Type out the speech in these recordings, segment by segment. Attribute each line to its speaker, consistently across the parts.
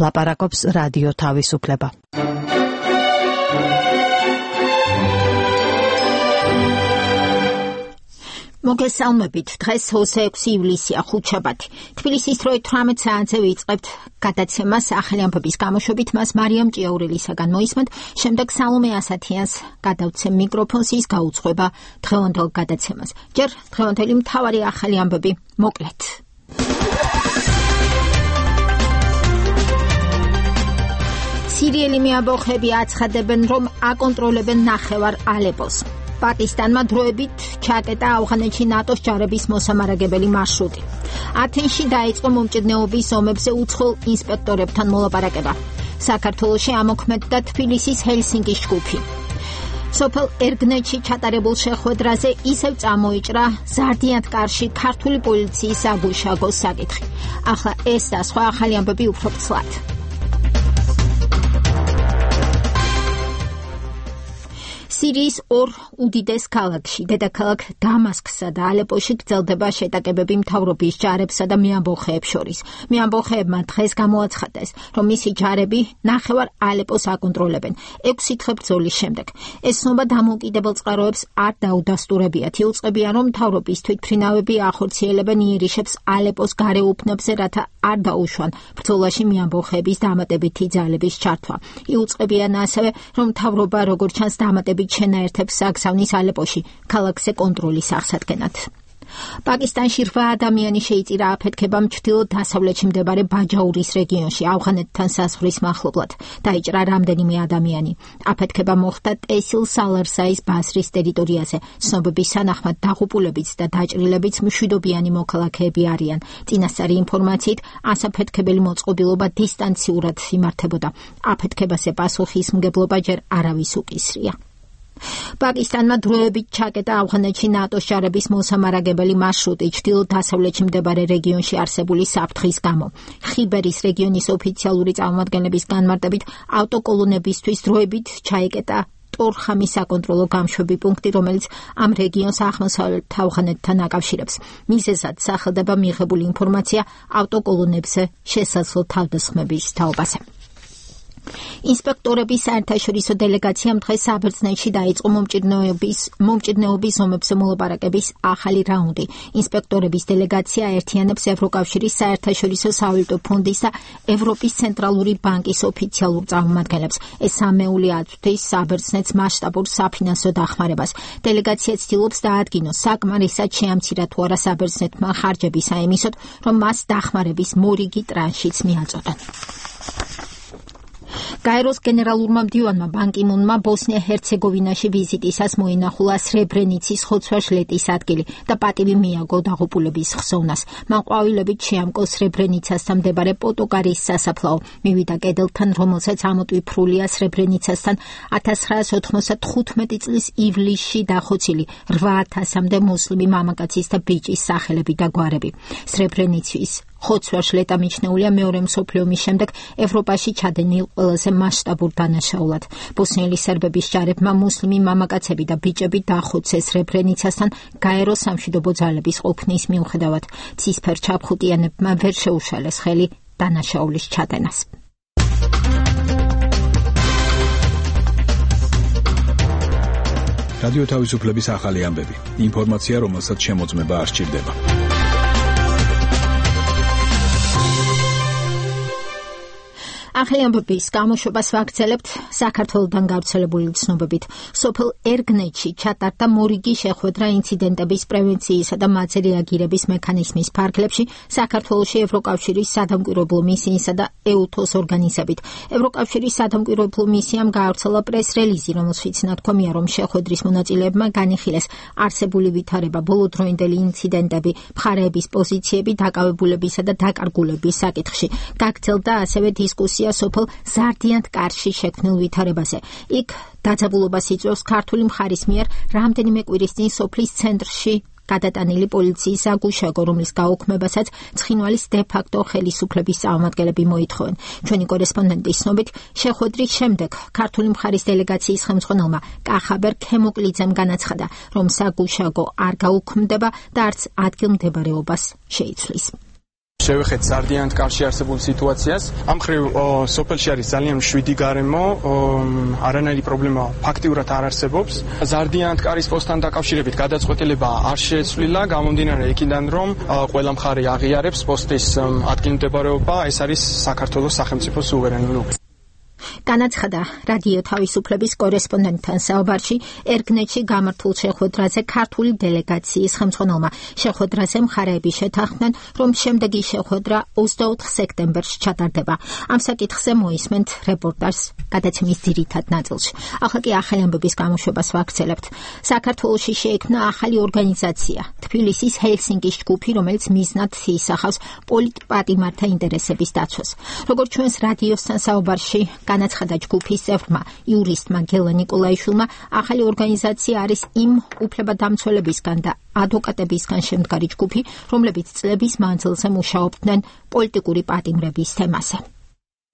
Speaker 1: ლაპარაკობს რადიო თავისუფლება.
Speaker 2: მოგესალმებით, დღეს 26 ივლისია, ხუთშაბათი. თბილისის დროით 18 საათზე ვიწყებთ გადაცემას ახალი ამბების გამოშვებით, მას მარიამ ჭიაურელისაგან მოისმენთ, შემდეგ სალომე ასათიანს გადავცემ მიკროფონს, ის გაუძღვება დღევანდელ გადაცემას. ჯერ დღევანდელი მთავარი ახალი ამბები მოკლედ. სირიელი მეამბოხები აცხადებენ, რომ აკონტროლებენ ნახევარ ალეპოს. პაკისტანმა დროებით ჩაკეტა ავღანეთში ნატოს ჯარების მოსამარაგებელი მარშრუტი. ათენში დაიწყო მომჭიდნეობის ომებზე უცხოელ ინსპექტორებთან მოლაპარაკება. საქართველოში ამოქმედდა თბილისის ჰელსინკის ჯგუფი. სოფელ ერგნეთში ჩატარებულ შეხვედრაზე ისევ წამოიჭრა ზარდიანთკარში ქართული პოლიციის საგუშაგო საკითხი. ახლა ეს და სხვა ახალი ამბები უფრო ცლად. სირიის ორ უდიდეს ქალაქში, დედაქალაქ დამასკსა და ალეპოში გრძელდება შეტაკებები მთავრობის ჯარებსა და მეამბოხეებს შორის. მეამბოხეებმა დღეს გამოაცხადეს, რომ მისი ჯარები ნახევარ ალეპოს აკონტროლებენ 6 დღე ბრძოლის შემდეგ. ეს ცნობა დამოუკიდებელ წყაროებს არ დაუდასტურებიათ. იუწყებიან, რომ მთავრობის თვითმფრინავები ახორციელებენ იერიშებს ალეპოს გარეუბნებზე, რათა არ დაუშვან ბრძოლაში მეამბოხეების დამატებითი ძალების ჩართვა. იუწყებიან ასევე, რომ მთავრობა როგორც ჩანს დამატებით შენაერთებს აგზავნის ალეპოში ქალაქზე კონტროლის აღსადგენად. პაკისტანში 8 ადამიანი შეიწირა აფეთქებამ ჩრდილო-დასავლეთში მდებარე ბაჯაურის რეგიონში ავღანეთთან საზღვრის მახლობლად. დაიჭრა რამდენიმე ადამიანი. აფეთქება მოხდა ტესილ სალარსაის ბაზრის ტერიტორიაზე. ცნობების თანახმად დაღუპულებიც და დაჭრილებიც მშვიდობიანი მოქალაქეები არიან. წინასწარი ინფორმაციით, ასაფეთქებელი მოწყობილობა დისტანციურად იმართებოდა. აფეთქებაზე პასუხისმგებლობა ჯერ არავის უკისრია. პაკისტანმა დროებით ჩაკეტა ავღანეთში ნატოს ჯარების მოსამარაგებელი მარშრუტი ჩრდილო-დასავლეთში მდებარე რეგიონში არსებული საფრთხის გამო. ხიბერის რეგიონის ოფიციალური წარმომადგენლების განმარტებით ავტოკოლონებისთვის დროებით ჩაიკეტა ტორხამის საკონტროლო გამშვები პუნქტი, რომელიც ამ რეგიონს აღმოსავლეთ ავღანეთთან აკავშირებს. მიზეზად სახელდება მიღებული ინფორმაცია ავტოკოლონებზე შესაძლო თავდასხმების თაობაზე. ინსპექტორების საერთაშორისო დელეგაციამ დღეს საბერძნეთში დაიწყო მომჭიდნეობის ომებზე მოლაპარაკების ახალი რაუნდი. ინსპექტორების დელეგაცია აერთიანებს ევროკავშირის საერთაშორისო სავალუტო ფონდის და ევროპის ცენტრალური ბანკის ოფიციალურ წარმომადგენლებს. ეს სამეული აწვდის საბერძნეთს მასშტაბურ საფინანსო დახმარებას. დელეგაცია ცდილობს დაადგინოს, საკმარისად შეამცირა თუ არა საბერძნეთმა ხარჯები საიმისოდ, რომ მას დახმარების მორიგი ტრანშიც მიაწოდონ. გაეროს გენერალურმა მდივანმა ბან კი მუნმა ბოსნია-ჰერცეგოვინაში ვიზიტისას მოინახულა სრებრენიცის ხოცვა-ჟლეტის ადგილი და პატივი მიაგო დაღუპულების ხსოვნას. მან ყვავილებით შეამკო სრებრენიცასთან მდებარე პოტოკარის სასაფლაო. მივიდა კედელთან, რომელსაც ამოტვიფრულია სრებრენიცასთან 1995 წლის ივლისში დახოცილი 8000-მდე მუსლიმი მამაკაცის და ბიჭის სახელები და გვარები. სრებრენიცის ხოცვა-ჟლეტა მიჩნეულია მეორე მსოფლიო ომის შემდეგ ევროპაში ჩადენილ ყველაზე მასშტაბურ დანაშაულად. ბოსნიელი სერბების ჯარებმა მუსლიმი მამაკაცები და ბიჭები დახოცეს სრებრენიცასთან გაეროს სამშვიდობო ძალების ყოფნის მიუხედავად. ცისფერ ჩაფხუტიანებმა ვერ შეუშალეს ხელი დანაშაულის ჩადენას.
Speaker 3: რადიო თავისუფლების ახალი ამბები. ინფორმაცია, რომელსაც შემოწმება არ სჭირდება.
Speaker 2: ახალი ამბების გამოშვებას ვაგრძელებთ საქართველოდან გავრცელებული ცნობებით. სოფელ ერგნეთში ჩატარდა მორიგი შეხვედრა ინციდენტების პრევენციისა და მათზე რეაგირების მექანიზმის ფარგლებში საქართველოში ევროკავშირის სადამკვირვებლო მისიისა და EUTOS ორგანიზებით. ევროკავშირის სადამკვირვებლო მისიამ გაავრცელა პრეს-რელიზი, რომელშიც ნათქვამია, რომ შეხვედრის მონაწილეებმა განიხილეს არსებული ვითარება, ბოლოდროინდელი ინციდენტები, მხარეების პოზიციები დაკავებულებისა და დაკარგულების საკითხში. გაგრძელდა ასევე დისკუსია სოფელ ზარდიანთკარში შექმნილ ვითარებაზე. იქ დაძაბულობას იწვევს ქართული მხარის მიერ რამდენიმე კვირის წინ სოფლის ცენტრში გადატანილი პოლიციის საგუშაგო, რომლის გაუქმებასაც ცხინვალის დე-ფაქტო ხელისუფლების წარმომადგენლები მოითხოვენ. ჩვენი კორესპონდენტის ცნობით, შეხვედრის შემდეგ ქართული მხარის დელეგაციის ხელმძღვანელმა კახაბერ ქემოკლიძემ განაცხადა, რომ საგუშაგო არ გაუქმდება და არც ადგილმდებარეობას შეიცვლის.
Speaker 4: შევეხეთ ზარდიანთ კარში არსებულ სიტუაციას. ამ მხრივ სოფელში არის ძალიან მშვიდი გარემო, არანაირი პრობლემა ფაქტიურად არ არსებობს. ზარდიანთ კარის პოსტთან დაკავშირებით გადაწყვეტილება არ შეცვლილა, გამომდინარე იქიდან, რომ ყველა მხარე აღიარებს პოსტის ადგილმდებარეობა, ეს არის საქართველოს სახელმწიფო სუვერენული უფლება.
Speaker 2: განაცხადა რადიო თავისუფლების კორესპონდენტთან საუბარში ერგნეთში გამართულ შეხვედრაზე ქართული დელეგაციის ხელმძღვანელმა. შეხვედრაზე მხარეები შეთანხმდნენ, რომ შემდეგი შეხვედრა 24 სექტემბერს ჩატარდება. ამ საკითხზე მოისმენთ რეპორტაჟს გადაცემის ძირითად ნაწილში. ახლა კი ახალი ამბების გამოშვებას ვაგრძელებთ. საქართველოში შეიქმნა ახალი ორგანიზაცია, თბილისის ჰელსინკის ჯგუფი, რომელიც მიზნად ისახავს პოლიტპატიმართა ინტერესების დაცვას. როგორც ჩვენს რადიოსთან საუბარში განაცხადა ჯგუფის წევრმა იურისტმა გელა ნიკოლაიშვილმა, ახალი ორგანიზაცია არის იმ უფლებადამცველებისგან და ადვოკატებისგან შემდგარი ჯგუფი, რომლებიც წლების მანძილზე მუშაობდნენ პოლიტიკური პატიმრების თემაზე.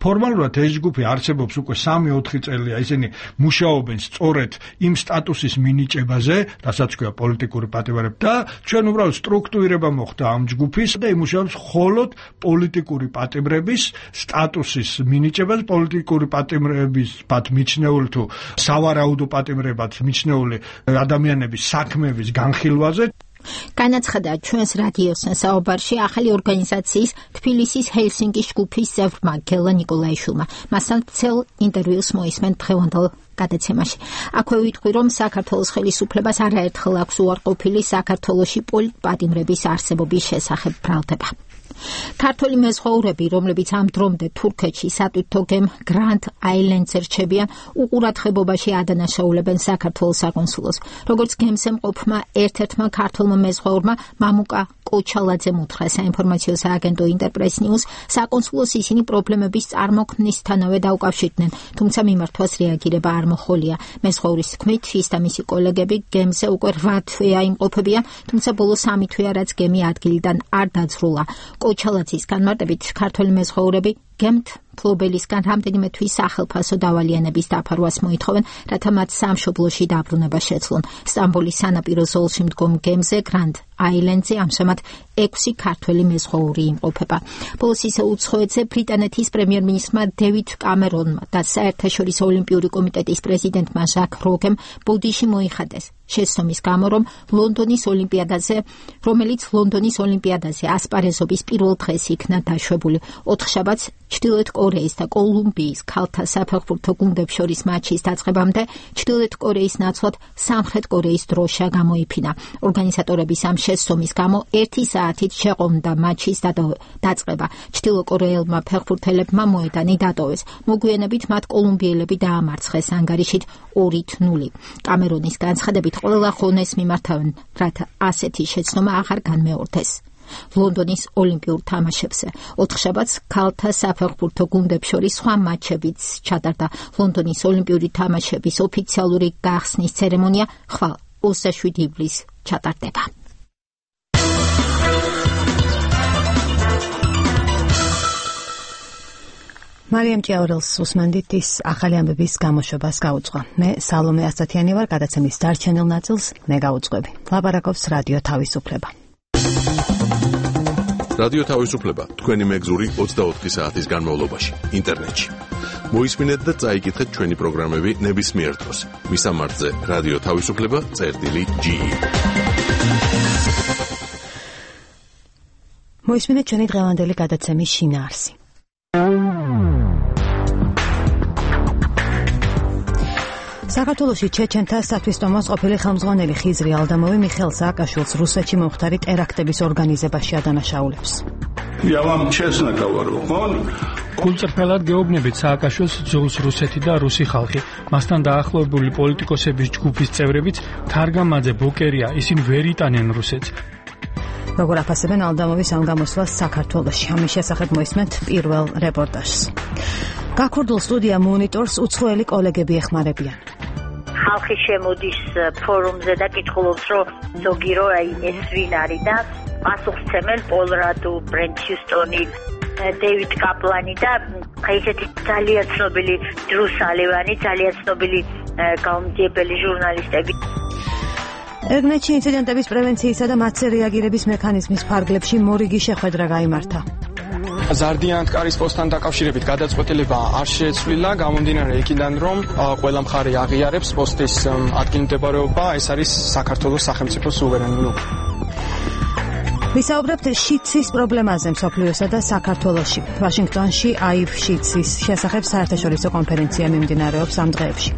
Speaker 5: ფორმალურად ეს ჯგუფი არსებობს უკვე 3-4 წელია, ისინი მუშაობენ სწორედ იმ სტატუსის მინიჭებაზე, რასაც ქვია პოლიტიკური პატიმრები და ჩვენ უბრალოდ სტრუქტურირება მოხდა ამ ჯგუფის და იმუშავებს მხოლოდ პოლიტიკური პატიმრების სტატუსის მინიჭებას, პოლიტიკური პატიმრების მიჩნეული თუ სავარაუდო პატიმრებად მიჩნეული ადამიანების საქმეების განხილვაზე. განაცხადა ჩვენს რადიოსთან საუბარში ახალი ორგანიზაციის თბილისის ჰელსინკის ჯგუფის წევრმა გელა ნიკოლაიშვილმა. მასთან ცელ ინტერვიუს მოისმენთ დღევანდელ გადაცემაში. აქვე ვიტყვი, რომ საქართველოს ხელისუფლებას არაერთხელ აქვს უარყოფილი საქართველოში პოლიტპატიმრების არსებობის შესახებ ბრალდება. ქართველი მეზღვაურები, რომლებიც ამ დრომდე თურქეთში სატვირთო გემ გრანდ აილენდზე რჩებიან, უყურადღებობაში ადანაშაულებენ საქართველოს საკონსულოს. როგორც გემზე მყოფმა ერთ-ერთმა ქართველმა მეზღვაურმა მამუკა კოჩალაძემ უთხრა საინფორმაციო სააგენტო ინტერპრეს ნიუს, საკონსულოს ისინი პრობლემების წარმოქმნისთანავე დაუკავშირდნენ, თუმცა მიმართვას რეაგირება არ მოხოლია. მეზღვაურის თქმით, ის და მისი კოლეგები გემზე უკვე 8 თვეა იმყოფებიან, თუმცა ბოლო 3 თვეა რაც გემი ადგილიდან არ დაძრულა. კოჩალაძის განმარტებით, ქართველი მეზღვაურები გემთ ფლობელისგან რამდენიმე თვის სახელფასო დავალიანების დაფარვას მოითხოვენ, რათა მათ სამშობლოში დაბრუნება შეძლონ. სტამბოლის სანაპირო ზოლში მდგომ გემზე გრანდ აილენდზე ამჟამად 6 ქართველი მეზღვაური იმყოფება. ბოლოს ისე უცხოეთზე ბრიტანეთის პრემიერ-მინისტრმა დევიდ კამერონმა და საერთაშორისო ოლიმპიური კომიტეტის პრეზიდენტმა ჟაკ როგემ ბოდიში მოიხადეს შეცდომის გამო, რომელიც ლონდონის ოლიმპიადაზე ასპარეზობის პირველ დღეს იქნა დაშვებული. ოთხშაბათს ჩრდილოეთ კორეის და კოლუმბიის ქალთა საფეხბურთო გუნდებს შორის მაჩის დაწყებამდე ჩრდილოეთ კორეის ნაცვლად სამხრეთ კორეის დროშა გამოიფინა. ორგანიზატორების ამ შეცდომის გამო 1 საათით შეყომდა მაჩის დაწყება. ჩრდილოკორეელმა ფეხბურთელებმა მოედანი დატოვეს. მოგვიანებით მათ კოლუმბიელები დაამარცხეს ანგარიშით 2-0. კამერონის განცხადებით ყველა ხონეს მიმართავენ, რათა ასეთი შეცდომა აღარ განმეორდეს. ლონდონის ოლიმპიურ თამაშებზე ოთხშაბათს ქალთა საფეხბურთო გუნდებს შორის სხვა მატჩებიც ჩატარდა. ლონდონის ოლიმპიური თამაშების ოფიციალური გახსნის ცერემონია ხვალ 27 ივლისს ჩატარდება.
Speaker 1: მარიამ ჭიაურელს უსმენდით, ის ახალი ამბების გამოშვებას გაუძღვა. მე სალომე ასათიანი ვარ, გადაცემის დარჩენილ ნაწილს მე გაუძღვები. ლაპარაკობს რადიო თავისუფლება.
Speaker 6: რადიო თავისუფლება თქვენი მეგზური 24 საათის განმავლობაში ინტერნეტში. მოისმინეთ და წაიკითხეთ ჩვენი პროგრამები ნებისმიერ დროს. მისამართზე რადიო თავისუფლება.ge.
Speaker 1: მოისმინეთ ჩვენი დღევანდელი გადაცემის შინაარსი. საქართველოში ჩეჩენთა სათვისტომოს ყოფილი ხელმძღვანელი ხიზრი ალდამოვი მიხეილ სააკაშვილს რუსეთში მომხდარი ტერაქტების ორგანიზებაში ადანაშაულებს.
Speaker 7: გულწრფელად გეუბნებით სააკაშვილს ძულს რუსეთი და რუსი ხალხი. მასთან დაახლოებული პოლიტიკოსების ჯგუფის წევრებიც თარგამაძე ბოკერია, ისინი ვერ იტანენ რუსეთს.
Speaker 1: როგორ აფასებენ ალდამოვის ამ გამოსვლას საქართველოში? ამის შესახებ მოისმენთ პირველ რეპორტაჟს. გაქურდულ სტუდია მონიტორს უცხოელი კოლეგები ეხმარებიან.
Speaker 8: ხალხი შემოდის ფორუმზე და კითხულობს, რომ ზოგი რო ეს ვინ არის და პასუხცემენ პოლ რადუ, ბრენდ ჰიუსტონი, დეივიდ კაპლანი და ესეთი ძალიან ცნობილი დრუ სალივანი, ძალიან ცნობილი გამომძიებელი ჟურნალისტები.
Speaker 1: ერგნეთში ინციდენტების პრევენციისა და მათზე რეაგირების მექანიზმის ფარგლებში მორიგი შეხვედრა გაიმართა.
Speaker 4: ზარდიან ანტკარის პოსტთან დაკავშირებით გადაწყვეტილება არ შეეცვლილა, გამომდინარე იქიდან, რომ ყველა მხარე აღიარებს პოსტის ადგილმდებარეობა, ეს არის საქართველოს სახელმწიფოს სუვერენული.
Speaker 1: ვისაუბრებთ შიცის პრობლემაზე მსოფლიოსა და საქართველოში. ვაშინგტონში აივ შიცის შესახებ საერთაშორისო კონფერენცია მიმდინარეობს ამ დღეებში.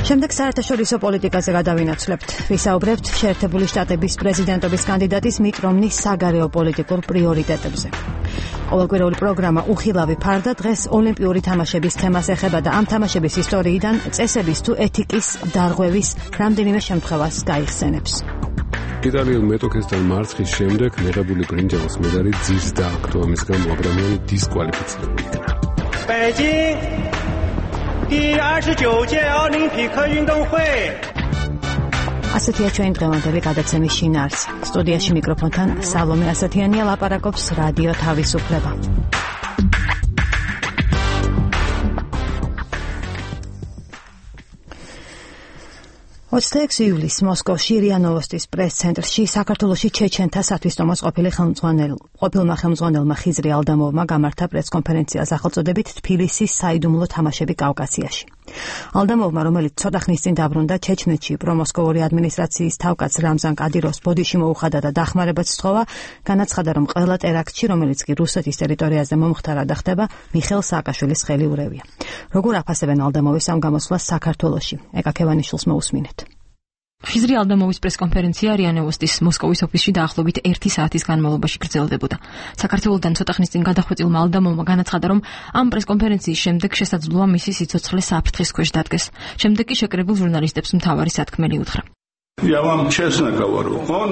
Speaker 1: შემდეგ საერთაშორისო პოლიტიკაზე გადავინაცვლებთ. ვისაუბრებთ შეერთებული შტატების პრეზიდენტობის კანდიდატის მიტ რომნის საგარეო პოლიტიკურ პრიორიტეტებზე. ყოველკვირეული პროგრამა უხილავი ფარდა დღეს ოლიმპიური თამაშების თემას ეხება და ამ თამაშების ისტორიიდან წესების თუ ეთიკის დარღვევის რამდენიმე შემთხვევას გაიხსენებს.
Speaker 9: იტალიელ მეტოქესთან მარცხის შემდეგ მიღებული ბრინჯაოს მედალი ძირს დააგდო, ამის გამო აბრამიანი დისკვალიფიცირებული იქნა.
Speaker 1: ასეთია ჩვენ დღევანდელი გადაცემის შინაარსი. სტუდიაში მიკროფონთან სალომე ასათიანია, ლაპარაკობს რადიო თავისუფლება. 26 ივლისს მოსკოვში რია ნოვოსტის პრეს-ცენტრში საქართველოში ჩეჩენთა სათვისტომოს ყოფილმა ხელმძღვანელმა ხიზრი ალდამოვმა გამართა პრეს-კონფერენცია სახელწოდებით თბილისის საიდუმლო თამაშები კავკასიაში. ალდამოვმა, რომელიც ცოტა ხნის წინ დაბრუნდა ჩეჩნეთში, პრომოსკოვური ადმინისტრაციის თავკაც რამზან კადიროვს ბოდიში მოუხადა და დახმარებაც სთხოვა, განაცხადა, რომ ყველა ტერაქტში, რომელიც კი რუსეთის ტერიტორიაზე მომხდარა და ხდება, მიხეილ სააკაშვილის ხელი ურევია. როგორ აფასებენ ალდამოვის ამ გამოსვლას საქართველოში? ეკა ქევანიშვილს მოусმინეთ.
Speaker 10: ხიზრი ალდამოვის პრესკონფერენცია რია ნოვოსტის მოსკოვის ოფისში დაახლოებით 1 საათის განმავლობაში გრძელდებოდა. საქართველოსთან ცოტა ხნის წინ გადახვეწილმა ალდამოვმა განაცხადა, რომ ამ პრესკონფერენციის შემდეგ შესაძლოა მისი სიცოცხლე საფრთხის ქვეშ დადგეს. შემდეგ კი შეკრებილ ჟურნალისტებს მთავარი სათქმელი უთხრა.
Speaker 11: Я вам честно говорю, он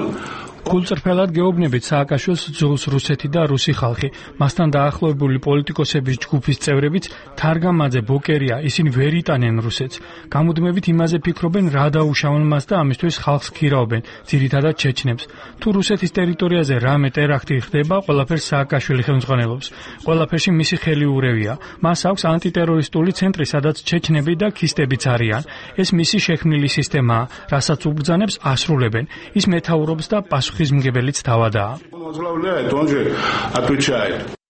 Speaker 7: გულწრფელად გეუბნებით, სააკაშვილს ძულს რუსეთი და რუსი ხალხი. მასთან დაახლოებული პოლიტიკოსების ჯგუფის წევრებიც, თარგამაძე, ბოკერია, ისინი ვერ იტანენ რუსეთს. გამუდმებით იმაზე ფიქრობენ, რა დაუშავონ მას და ამისთვის ხალხს ქირაობენ, ძირითადად ჩეჩნებს. თუ რუსეთის ტერიტორიაზე რამე ტერაქტი ხდება, ყველაფერს სააკაშვილი ხელმძღვანელობს. ყველაფერში მისი ხელი ურევია. მას აქვს ანტიტერორისტული ცენტრი, სადაც ჩეჩნები და ქისტებიც არიან. ეს მისი შექმნილი სისტემაა, რასაც უბრძანებს, ასრულებენ. ის მეთაურობს და ხიზმგებელიც თავადაა.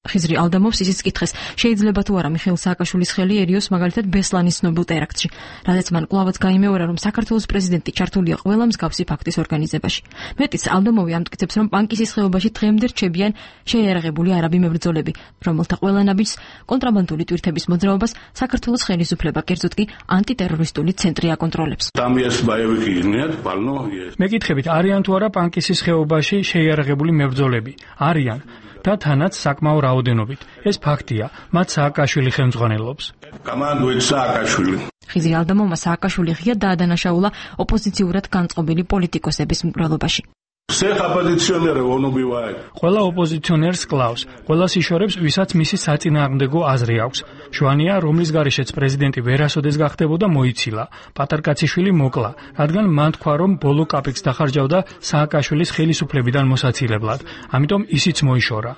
Speaker 10: ხიზრი ალდამოვს ისიც კითხეს, შეიძლება თუ არა მიხეილ სააკაშვილის ხელიერიოს მაგალითად ბესლანის ცნობილ ტერაქტში, რადგან მან კვლავაც გაიმეორა, რომ საქართველოს პრეზიდენტი ჩართულია ყველა მსგავსი ფაქტის ორგანიზებაში. მეტიც ალდამოვი ამტკიცებს, რომ პანკისის ხეობაში დღემდე რჩებიან შეიარაღებული არაბი მებრძოლები, რომელთა ყველა ნაბიჯს კონტრაბანდული ტვირთების მოძრაობას საქართველოს ხელისუფლება, კერძოდ კი ანტიტერორისტული ცენტრი აკონტროლებს.
Speaker 7: მეკითხებით, არიან თუ არა პანკისის ხეობაში შეიარაღებული მებრძოლები? არიან. და თანაც საკმაო რაოდენობით. ეს ფაქტია, მათ სააკაშვილი ხელმძღვანელობს.
Speaker 10: ხიზრი ალდამოვმა სააკაშვილი ღია დაადანაშაულა ოპოზიციურად განწყობილი პოლიტიკოსების მკვლელობაში.
Speaker 7: ყველა ოპოზიციონერს კლავს, ყველას იშორებს, ვისაც მისი საწინააღმდეგო აზრი აქვს. შვანია, რომლის გარეშეც პრეზიდენტი ვერასოდეს გახდებოდა, მოიცილა. პატარკაციშვილი მოკლა, რადგან მან თქვა, რომ ბოლო კაპიკს დახარჯავდა სააკაშვილის ხელისუფლებიდან მოსაცილებლად. ამიტომ ისიც მოიშორა.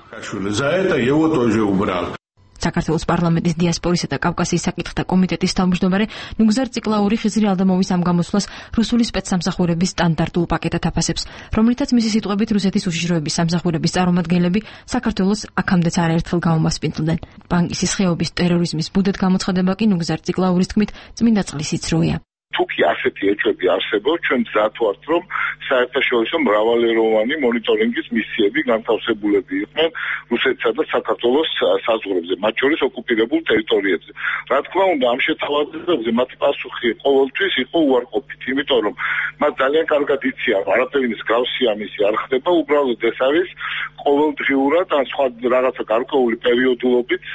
Speaker 10: საქართველოს პარლამენტის დიასპორისა და კავკასიის საკითხთა კომიტეტის თავმჯდომარე ნუგზარ ციკლაური ხიზრი ალდამოვის ამ გამოსვლას რუსული სპეცსამსახურების სტანდარტულ პაკეტად აფასებს, რომლითაც მისი სიტყვებით რუსეთის უშიშროების სამსახურების წარმომადგენლები საქართველოს აქამდეც არაერთხელ გაუმასპინძლდნენ. პანკისის ხეობის ტერორიზმის ბუდეთ გამოცხადება კი ნუგზარ ციკლაურის თქმით წმინდა წყლის სიცრუეა.
Speaker 11: თუკი ასეთი ეჭვები არსებობს, ჩვენ მზად ვართ, რომ საერთაშორისო მრავალეროვანი მონიტორინგის მისიები განთავსებულები იყვნენ რუსეთსა და საქართველოს საზღვრებზე, მათ შორის ოკუპირებულ ტერიტორიებზე. რა თქმა უნდა, ამ შეთავაზებებზე მათი პასუხი ყოველთვის იყო უარყოფით, იმიტომ რომ მათ ძალიან კარგად იციან, არაფერი მსგავსი ამისი არ ხდება, უბრალოდ ეს არის ყოველდღიურად ან სხვა რაღაცა გარკვეული პერიოდულობით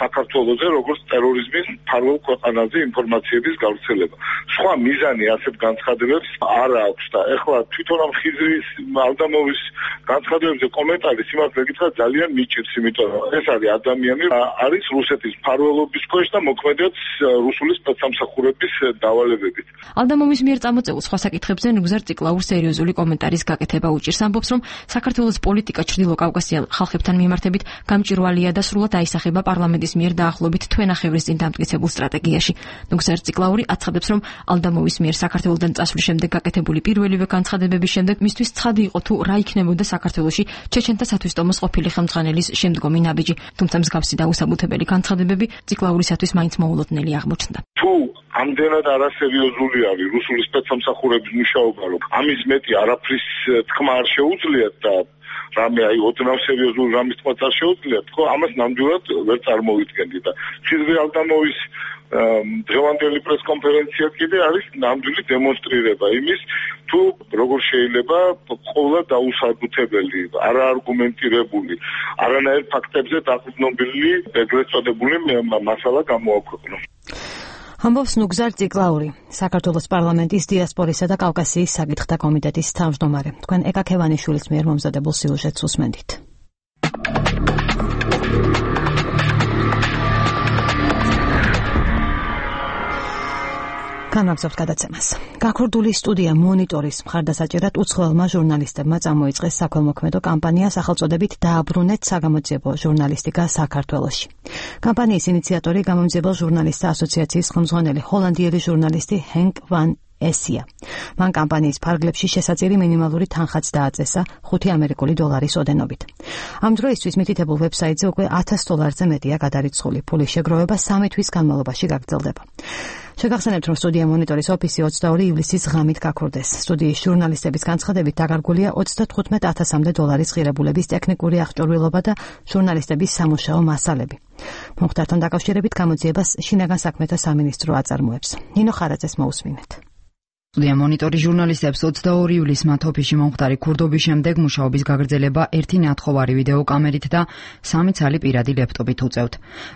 Speaker 11: საქართველოზე როგორც ტერორიზმის მფარველ ქვეყანაზე ინფორმაციების გავრცელება. სხვა მიზანი ასეთ განცხადებებს არ აქვს და ეხლა თვითონ ამ ხიზრის ალდამოვის განცხადებებზე კომენტარი სიმართლე გითხრათ ძალიან მიჭირს, იმიტომ რომ ეს არის ადამიანი, არის რუსეთის მფარველობის ქვეშ და მოქმედებს რუსული სპეცსამსახურების დავალებებით.
Speaker 10: ალდამოვის მიერ წამოწეულ სხვა საკითხებზე ნუგზარ ციკლაურს სერიოზული კომენტარის გაკეთება უჭირს. ამბობს, რომ საქართველოს პოლიტიკა ჩრდილო კავკასიელ ხალხებთან მიმართებით გამჭვირვალეა და სრულად აისახება პარლამენტის მიერ დაახლოებით თვენახევრის წინ დამტკიცებულ სტრატეგიაში. ნუგზარ ციკლაური აცხადებს, რომ ალდამოვის მიერ საქართველოსთან წასვლის შემდეგ გაკეთებული პირველივე განცხადებების შემდეგ მისთვის ცხადი იყო თუ რა იქნებოდა საქართველოში ჩეჩენთა სათვისტომოს ყოფილი ხელმძღვანელის შემდგომი ნაბიჯი, თუმცა მსგავსი და უსაბუთებელი განცხადებები ციკლაურისათვის მაინც მოულოდნელი აღმოჩნდა.
Speaker 11: თუ ამდენად არასერიოზული არის რუსული სპეცსამსახურების მუშაობა, რომ ამის მეტი არაფრის თქმა არ შეუძლიათ და რამე ოდნავ სერიოზული რამის თქმა არ შეუძლიათ, ხო, ამას ნამდვილად ვერ წარმოვიდგენდი და ხიზრი ალდამოვის დღევანდელი პრესკონფერენცია კიდე არის ნამდვილი დემონსტრირება იმის, თუ როგორ შეიძლება ყოველ დაუსაბუთებელი, არაარგუმენტირებული, არანაირ ფაქტებზე დაყრდნობილი ეგრეთ წოდებული მასალა გამოაქვეყნოს.
Speaker 1: ამბობს ნუგზარ ციკლაური, საქართველოს პარლამენტის დიასპორისა და კავკასიის საკითხთა კომიტეტის თავმჯდომარე. თქვენ ეკა ქევანიშვილის მიერ მომზადებულ სიუჟეტს უსმენთ. განვაგრძობთ გადაცემას. გაქურდული სტუდია მონიტორის მხარდასაჭერად უცხოელმა ჟურნალისტებმა წამოიწყეს საქველმოქმედო კამპანია სახელწოდებით „დააბრუნეთ საგამოძიებო ჟურნალისტიკა საქართველოში“. კამპანიის ინიციატორი გამომძიებელ ჟურნალისტთა ასოციაციის ხელმძღვანელი ჰოლანდიელი ჟურნალისტი ჰენკ ვან ესია. მან კამპანიის ფარგლებში შესაძირი მინიმალური თანხაც დააწესა $5 ამერიკული ოდენობით. ამ დროისთვის მითითებულ ვებსაიტზე უკვე $1000-ზე მეტია გადარიცხული. ფულის შეგროვება 3 თვის განმავლობაში გაგრძელდება. შეგახსენებთ, რომ სტუდია მონიტორის ოფისი 22 ივლისის ღამით გაქურდეს. სტუდიის ჟურნალისტების განცხადებით დაკარგულია $35,000-მდე ღირებულების ტექნიკური აღჭურვილობა და ჟურნალისტების სამუშაო მასალები. მომხდართან დაკავშირებით გამოძიებას შინაგან საქმეთა სამინისტრო აწარმოებს. ნინო ხარაძეს მოусმინეთ.
Speaker 12: სტუდია მონიტორის ჟურნალისტებს 22 ივლისს მათ ოფისში მომხდარი ქურდობის შემდეგ მუშაობის გაგრძელება 1 ნათხოვარი ვიდეო კამერით და 3 ცალი პირადი ლეპტოპით უწევთ.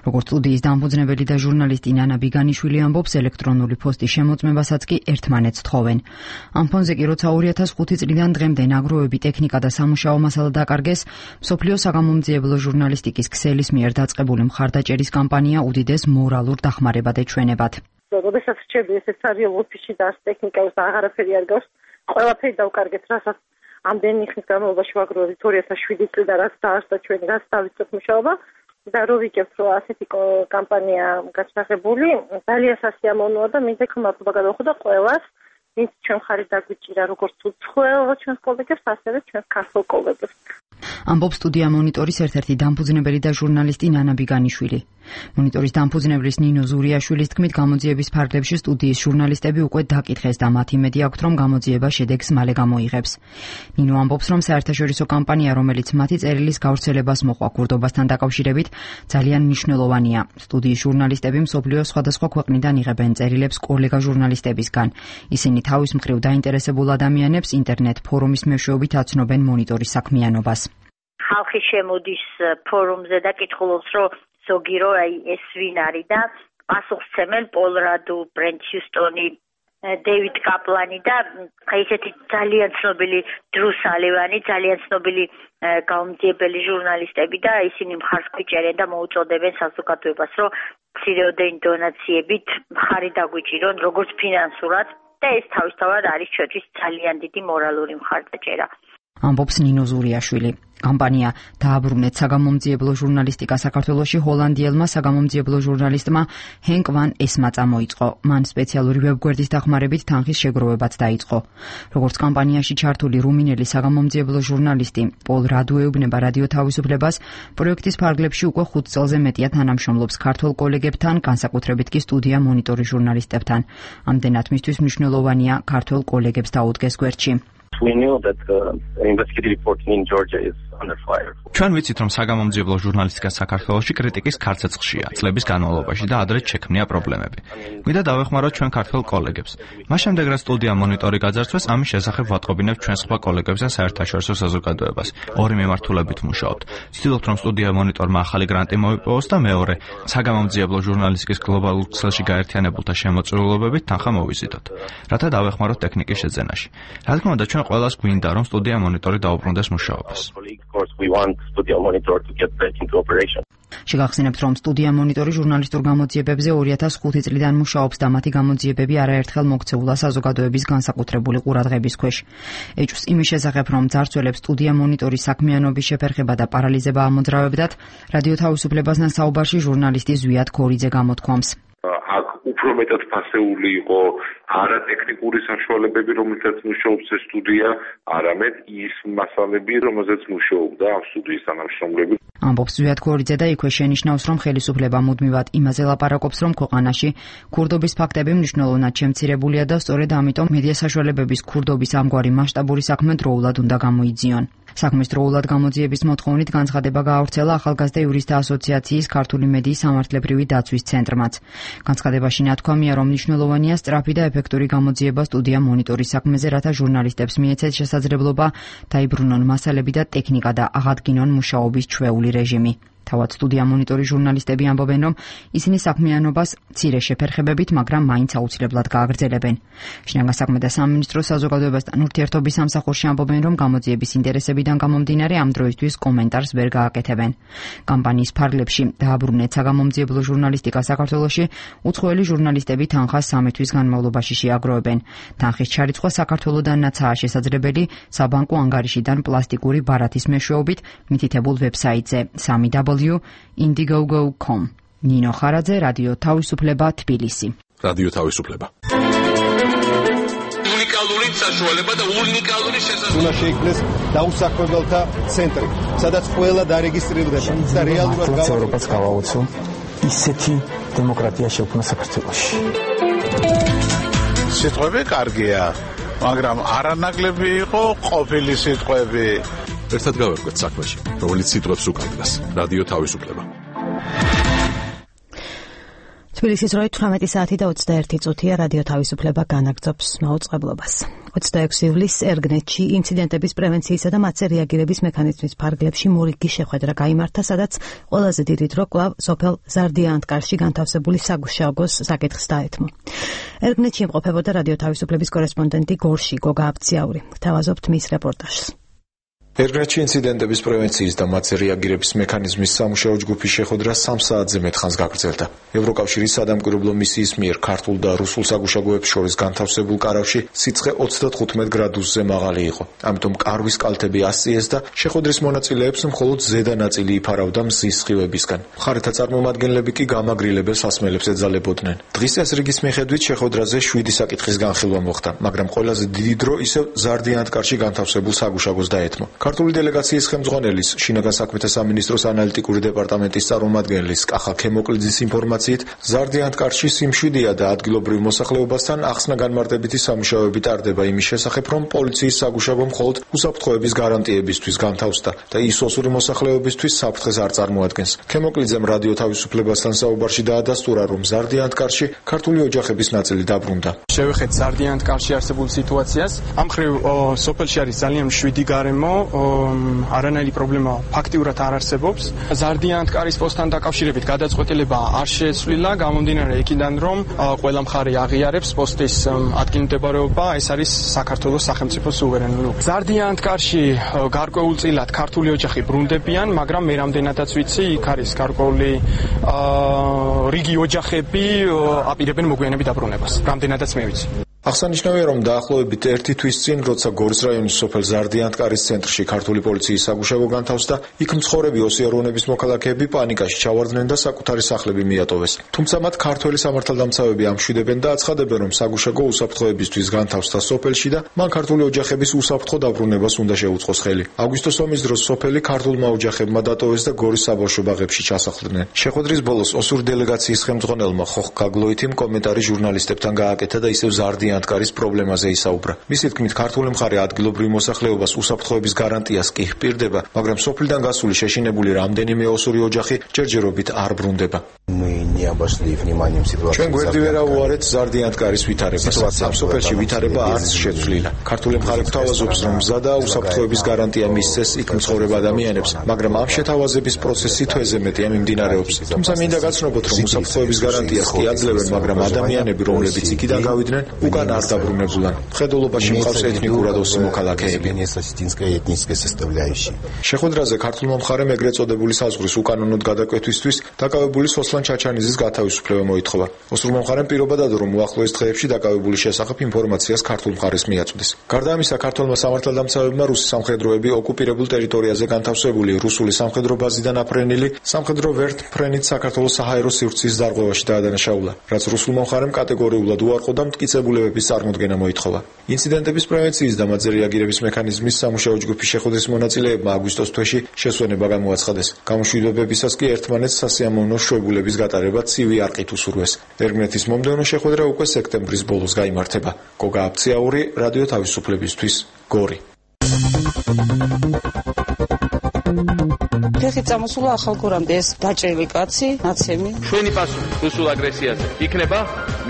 Speaker 12: როგორც სტუდიის დამფუძნებელი და ჟურნალისტი ნანა ბიგანიშვილი ამბობს, ელექტრონული ფოსტის შემოწმებასაც კი ერთმანეთს თხოვენ. ამ ფონზე კი როცა 2005 წლიდან დღემდე ნაგროვები, ტექნიკა და სამუშაო მასალა დაკარგეს, მსოფლიო საგამომძიებლო ჟურნალისტიკის ქსელის მიერ დაწყებული მხარდაჭერის კამპანია უდიდეს მორალურ დახმარებად ეჩვენებათ.
Speaker 13: როდესაც რჩები ესეც არის ოფისში და ტექნიკას და აღარაფერი არ გავს, ყველაფერი დავკარგეთ, რასაც ამდენი ხნის განმავლობაში ვაგროვებთ 2007 წლიდან რაც დაარსდა ჩვენი რაც დავიწყეთ მუშაობა და რო ვიგებთ, რომ ასეთი კამპანია გასაღებული, ძალიან სასიამოვნოა და მინდა მადლობა გადავხო და ყველას, ვინც ჩვენ ხარით დაგვიჭირა როგორც უცხოელ ჩვენს კოლეგებს, ასევე ჩვენს ქართულ კოლეგებს.
Speaker 12: ამბობს სტუდია მონიტორის ერთ-ერთი დამფუძნებელი და ჟურნალისტი ნანა ბიგანიშვილი. მონიტორის დამფუძნებლის ნინო ზურიაშვილის თქმით, გამოძიების ფარგლებში სტუდიის ჟურნალისტები უკვე დაკითხეს და მათ იმედი აქვთ, რომ გამოძიება შედეგს მალე გამოიღებს. ნინო ამბობს, რომ საერთაშორისო კამპანია, რომელიც მათი წერილის გავრცელებას მოყვა ქურდობასთან დაკავშირებით, ძალიან მნიშვნელოვანია. სტუდიის ჟურნალისტები მსოფლიოს სხვადასხვა ქვეყნიდან იღებენ წერილებს კოლეგა ჟურნალისტებისგან. ისინი თავის მხრივ დაინტერესებულ ადამიანებს ინტერნეტ ფორუმის მეშვეობით აცნობენ მონიტორის საქმიანობას.
Speaker 8: ხალხი შემოდის ფორუმზე და კითხულობს, რომ ზოგი რო ეს ვინ არის და პასუხსცემენ პოლ რადუ, ბრენდ ჰიუსტონი, დეივიდ კაპლანი და ესეთი ძალიან ცნობილი დრუ სალივანი, ძალიან ცნობილი გამომძიებელი ჟურნალისტები და ისინი მხარს გვიჭერენ და მოუწოდებენ საზოგადოებას, რომ მცირეოდენი დონაციებით მხარი დაგვიჭირონ, როგორც ფინანსურად და ეს თავისთავად არის ჩვენთვის ძალიან დიდი მორალური მხარდაჭერა.
Speaker 12: ამბობს ნინო ზურიაშვილი. კამპანია „დააბრუნეთ საგამომძიებლო ჟურნალისტიკა საქართველოში“ ჰოლანდიელმა საგამომძიებლო ჟურნალისტმა ჰენკ ვან ესმა წამოიწყო. მან სპეციალური ვებგვერდის დახმარებით თანხის შეგროვებაც დაიწყო. როგორც კამპანიაში ჩართული რუმინელი საგამომძიებლო ჟურნალისტი პოლ რადუ ეუბნება რადიო თავისუფლებას, პროექტის ფარგლებში უკვე 5 წელზე მეტია თანამშრომლობს ქართულ კოლეგებთან, განსაკუთრებით კი სტუდია მონიტორის ჟურნალისტებთან. ამდენად მისთვის მნიშვნელოვანია ქართულ კოლეგებს დაუდგეს გვერდში.
Speaker 14: We knew that investigative reporting in Georgia is under fire.
Speaker 15: ჩვენ ვიცით, რომ საგამომძიებლო ჟურნალისტიკა საქართველოში კრიტიკის ქარცეცხლშია წლების განმავლობაში და ადრე შექმნია პრობლემები. გვინდა დავეხმაროთ ჩვენ ქართულ კოლეგებს. მას შემდეგ, რაც სტუდია მონიტორი გაძარცვეს, ამის შესახებ ვატყობინებთ ჩვენ სხვა კოლეგებს და საერთაშორისო საზოგადოებას. ორი მიმართულებით მუშაობთ. ვცდილობთ, რომ სტუდია მონიტორმა ახალი გრანტი მოიპოვოს და მეორე, საგამომძიებლო ჟურნალისტიკის გლობალურ ქსელში გაერთიანებულთა შემოწირულობებით თანხა მოვიზიდოთ, რათა დავეხმაროთ ტექნიკის შეძენაში. რა თქმა უნდა, ჩვენ ყველას გვინდა, რომ სტუდია მონიტორი დაუბრუნდეს მუშაობას.
Speaker 12: შეგახსენებთ, რომ სტუდია მონიტორი ჟურნალისტურ გამოძიებებზე 2005 წლიდან მუშაობს და მათი გამოძიებები არაერთხელ მოქცეულა საზოგადოების განსაკუთრებული ყურადღების ქვეშ. ეჭვს იმის შესახებ, რომ ძარცველებს სტუდია მონიტორის საქმიანობის შეფერხება და პარალიზება ამოძრავებდათ, რადიო თავისუფლებასთან საუბარში ჟურნალისტი ზვიად ქორიძე გამოთქვამს.
Speaker 11: აქ უფრო მეტად ფასეული იყო არა ტექნიკური საშუალებები, რომელთაც მუშაობს ეს სტუდია, არამედ ის მასალები, რომელზეც მუშაობდა ამ სტუდიის თანამშრომლები.
Speaker 12: ამბობს ზვიად გორიძე და იქვე შენიშნავს, რომ ხელისუფლება მუდმივად იმაზე ლაპარაკობს, რომ ქვეყანაში ქურდობის ფაქტები მნიშვნელოვნად შემცირებულია და სწორედ ამიტომ მედია საშუალებების ქურდობის ამგვარი მასშტაბური საქმე დროულად უნდა გამოიძიონ. საქმის დროულად გამოძიების მოთხოვნით განცხადება გაავრცელა ახალგაზრდა იურისტთა ასოციაციის ქართული მედიის სამართლებრივი დაცვის ცენტრმაც. განცხადებაში ნათქვამია, რომ მნიშვნელოვანია სწრაფი და ეფექტური გამოძიება სტუდია მონიტორის საქმეზე, რათა ჟურნალისტებს მიეცეთ შესაძლებლობა დაიბრუნონ მასალები და ტექნიკა და აღადგინონ მუშაობის ჩვეული რეჟიმი. თავად სტუდია მონიტორის ჟურნალისტები ამბობენ, რომ ისინი საქმიანობას მცირე შეფერხებებით, მაგრამ მაინც აუცილებლად გააგრძელებენ. შინაგან საქმეთა სამინისტროს საზოგადოებასთან ურთიერთობის სამსახურში ამბობენ, რომ გამოძიების ინტერესებიდან გამომდინარე ამ დროისთვის კომენტარს ვერ გააკეთებენ. კამპანიის ფარგლებში დააბრუნეთ საგამომძიებლო ჟურნალისტიკა საქართველოში უცხოელი ჟურნალისტები თანხას 3 თვის განმავლობაში შეაგროვებენ. თანხის ჩარიცხვა საქართველოდანაცაა შესაძლებელი საბანკო ანგარიშიდან პლასტიკური ბარათის მეშვეობით მითითებულ ვებსაიტზე www.indigogo.com. ნინო ხარაძე, რადიო თავისუფლება, თბილისი.
Speaker 6: რადიო თავისუფლება.
Speaker 16: უნიკალური საშუალება და უნიკალური შესაძლებლობა.
Speaker 17: უნდა შეიქმნეს დაუსაქმებელთა ცენტრი, სადაც ყველა დარეგისტრირდება და რეალურად
Speaker 18: ევროპას გავაოცო ისეთი დემოკრატია შექმნა საქართველოში.
Speaker 19: სიტყვები კარგია, მაგრამ არანაკლები იყო ყოფილი სიტყვები.
Speaker 6: ერთად გავერკვეთ საქმეში, რომელიც სიტყვებს უკავშირდება. რადიო თავისუფლება.
Speaker 1: თბილისის 18 საათი და 21 წუთია. რადიო თავისუფლება განაგრძობს მაუწყებლობას. 26 ივლისს ერგნეთში ინციდენტების პრევენციისა და მათზე რეაგირების მექანიზმის ფარგლებში მორიგი შეხვედრა გაიმართა, სადაც ყველაზე დიდი დრო კვლავ სოფელ ზარდიანთკარში განთავსებული საგუშაგოს საკითხს დაეთმო. ერგნეთში იმყოფებოდა რადიო თავისუფლების კორესპონდენტი გორში გოგა აბციაური. გთავაზობთ მის რეპორტაჟს.
Speaker 20: ერგნეთში ინციდენტების პრევენციის და მათზე რეაგირების მექანიზმის სამუშაო ჯგუფის შეხვედრა 3 საათზე მეტხანს გაგრძელდა. ევროკავშირის სადამკვირვებლო მისიის მიერ ქართულ და რუსულ საგუშაგოებს შორის განთავსებულ კარავში სიცხე 35 გრადუსზე მაღალი იყო. ამიტომ კარვის კალთები ასწიეს და შეხვედრის მონაწილეებს მხოლოდ ზედა ნაწილი იფარავდა მზის სხივებისგან. მხარეთა წარმომადგენლები კი გამაგრილებელ სასმელებს ეძალებოდნენ. დღის წესრიგის მიხედვით შეხვედრაზე 7 საკითხის განხილვა მოხდა, მაგრამ ყველაზე დიდი დრო ისევ ზარდიანთკარში განთავსებულ საგუშაგოს დაეთმო. ქართული დელეგაციის ხელმძღვანელის შინაგან საქმეთა სამინისტროს ანალიტიკური დეპარტამენტის წარმომადგენლის კახა ქემოკლიძის ინფორმაციით, ზარდიანთკარში სიმშვიდეა და ადგილობრივ მოსახლეობასთან ახსნა განმარტებითი სამუშაოები ტარდება იმის შესახებ, რომ პოლიციის საგუშაგო მხოლოდ უსაფრთხოების გარანტიებისთვის განთავსდა და ის ოსური მოსახლეობისთვის საფრთხეს არ წარმოადგენს. ქემოკლიძემ რადიო თავისუფლებასთან საუბარში დაადასტურა, რომ ზარდიანთკარში ქართული ოჯახების ნაწილი დაბრუნდა.
Speaker 4: შევეხეთ ზარდიანთკარში არსებულ სიტუაციას. ამ მხრივ სოფელში არის ძალიან მშვიდი გარემო. არანაირი პრობლემა ფაქტიურად არ არსებობს. ზარდიანთკარის პოსტთან დაკავშირებით გადაწყვეტილება არ შეცვლილა, გამომდინარე იქიდან, რომ ყველა მხარე აღიარებს პოსტის ადგილმდებარეობა, ეს არის საქართველოს სახელმწიფო სუვერენული. ზარდიანთკარში გარკვეულწილად ქართული ოჯახი ბრუნდებიან, მაგრამ მე რამდენადაც ვიცი, იქ არის გარკვეული რიგი ოჯახები აპირებენ მოგვიანებით დაბრუნებას. რამდენადაც მე ვიცი.
Speaker 20: აღსანიშნავია, რომ დაახლოებით 1 თვის წინ, როცა გორის რაიონის სოფელ ზარდიანთკარის ცენტრში ქართული პოლიციის საგუშაგო განთავსდა, იქ მცხოვრები ოსიაროვნების მოქალაქეები პანიკაში ჩავარდნენ და საკუთარი სახლები მიატოვეს. თუმცა მათ ქართველი სამართალდამცავები ამშვიდებენ და აცხადებენ, რომ საგუშაგო უსაფრთხოებისთვის განთავსდა სოფელში და მან ქართული ოჯახების უსაფრთხო დაბრუნებას უნდა შეუწყოს ხელი. აგვისტოს ომის დროს სოფელი ქართულმა ოჯახებმა დატოვეს და გორის საბავშვო ბაღებში ჩასახლდნენ. შეხვედრის ბოლოს ოსური დელეგაციის ხელმძღვანელმა ხოხ გაგლოითიმ კომენტარი ჟურნალისტებთან გააკეთა და ისევ ზარდიანთკარის პრობლემაზე ისაუბრა. მისი თქმით, ქართული მხარე ადგილობრივ მოსახლეობას უსაფრთხოების გარანტიას კი ჰპირდება, მაგრამ სოფლიდან გასული შეშინებული რამდენიმე ოსური ოჯახი ჯერჯერობით არ ბრუნდება. ჩვენ გვერდი ვერ აუარეთ ზარდიანთკარის ვითარებას. ამ სოფელში ვითარება არც შეცვლილა. ქართული მხარე გვთავაზობს, რომ მზა და უსაფრთხოების გარანტია მისცეს იქ მცხოვრებ ადამიანებს, მაგრამ ამ შეთავაზების პროცესი თვეზე მეტია მიმდინარეობს. თუმცა მინდა გაცნობოთ, რომ უსაფრთხოების გარანტიას კი აძლევენ, მაგრამ ადამიანები, რომლებიც იქიდან გავიდნენ, უკან არ დაბრუნებულან. მხედველობაში მყავს ეთნიკურად ოსი მოქალაქეები. შეხვედრაზე ქართულმა მხარემ ეგრეთ წოდებული საზღვრის უკანონოდ გადაკვეთვისთვის დაკავებული სოსლან ჩაჩანიძის გათავისუფლება მოითხოვა. ოსურმა მხარემ პირობა დადო, რომ უახლოეს დღეებში დაკავებული შესახებ ინფორმაციას ქართულ მხარეს მიაწვდეს. გარდა ამისა, ქართველმა სამართალდამცავებმა რუსი სამხედროები ოკუპირებულ ტერიტორიაზე განთავსებული რუსული სამხედრო ბაზიდან აფრენილი სამხედრო ვერტმფრენით საქართველოს საჰაერო სივრცის დარღვევაში დაადანაშაულა, რაც რუსულმა მხარემ კატეგორიულად უარყო და მტკიცებულებების წარმოდგენა მოითხოვა. ინციდენტების პრევენციის და მათზე რეაგირების მექანიზმის სამუშაო ჯგუფის შეხვედრის მონაწილეებმა აგვისტოს თვეში შესვენება გამოაცხადეს. გამოშვიდობებისას კი ერთმანეთს სასიამოვნო შვებულების გატარება ცივი არყით უსურვეს. ერგმნეთის მომდევნო შეხვედრა უკვე სექტემბრის ბოლოს გაიმართება. გოგა აფციაური, რადიო თავისუფლებისთვის, გორი.
Speaker 21: ფეხი წამოსულა ახალგორამდე ეს დაჭრილი კაცი, ნაცემი.
Speaker 16: ჩვენი პასუხი რუსულ აგრესიაზე იქნება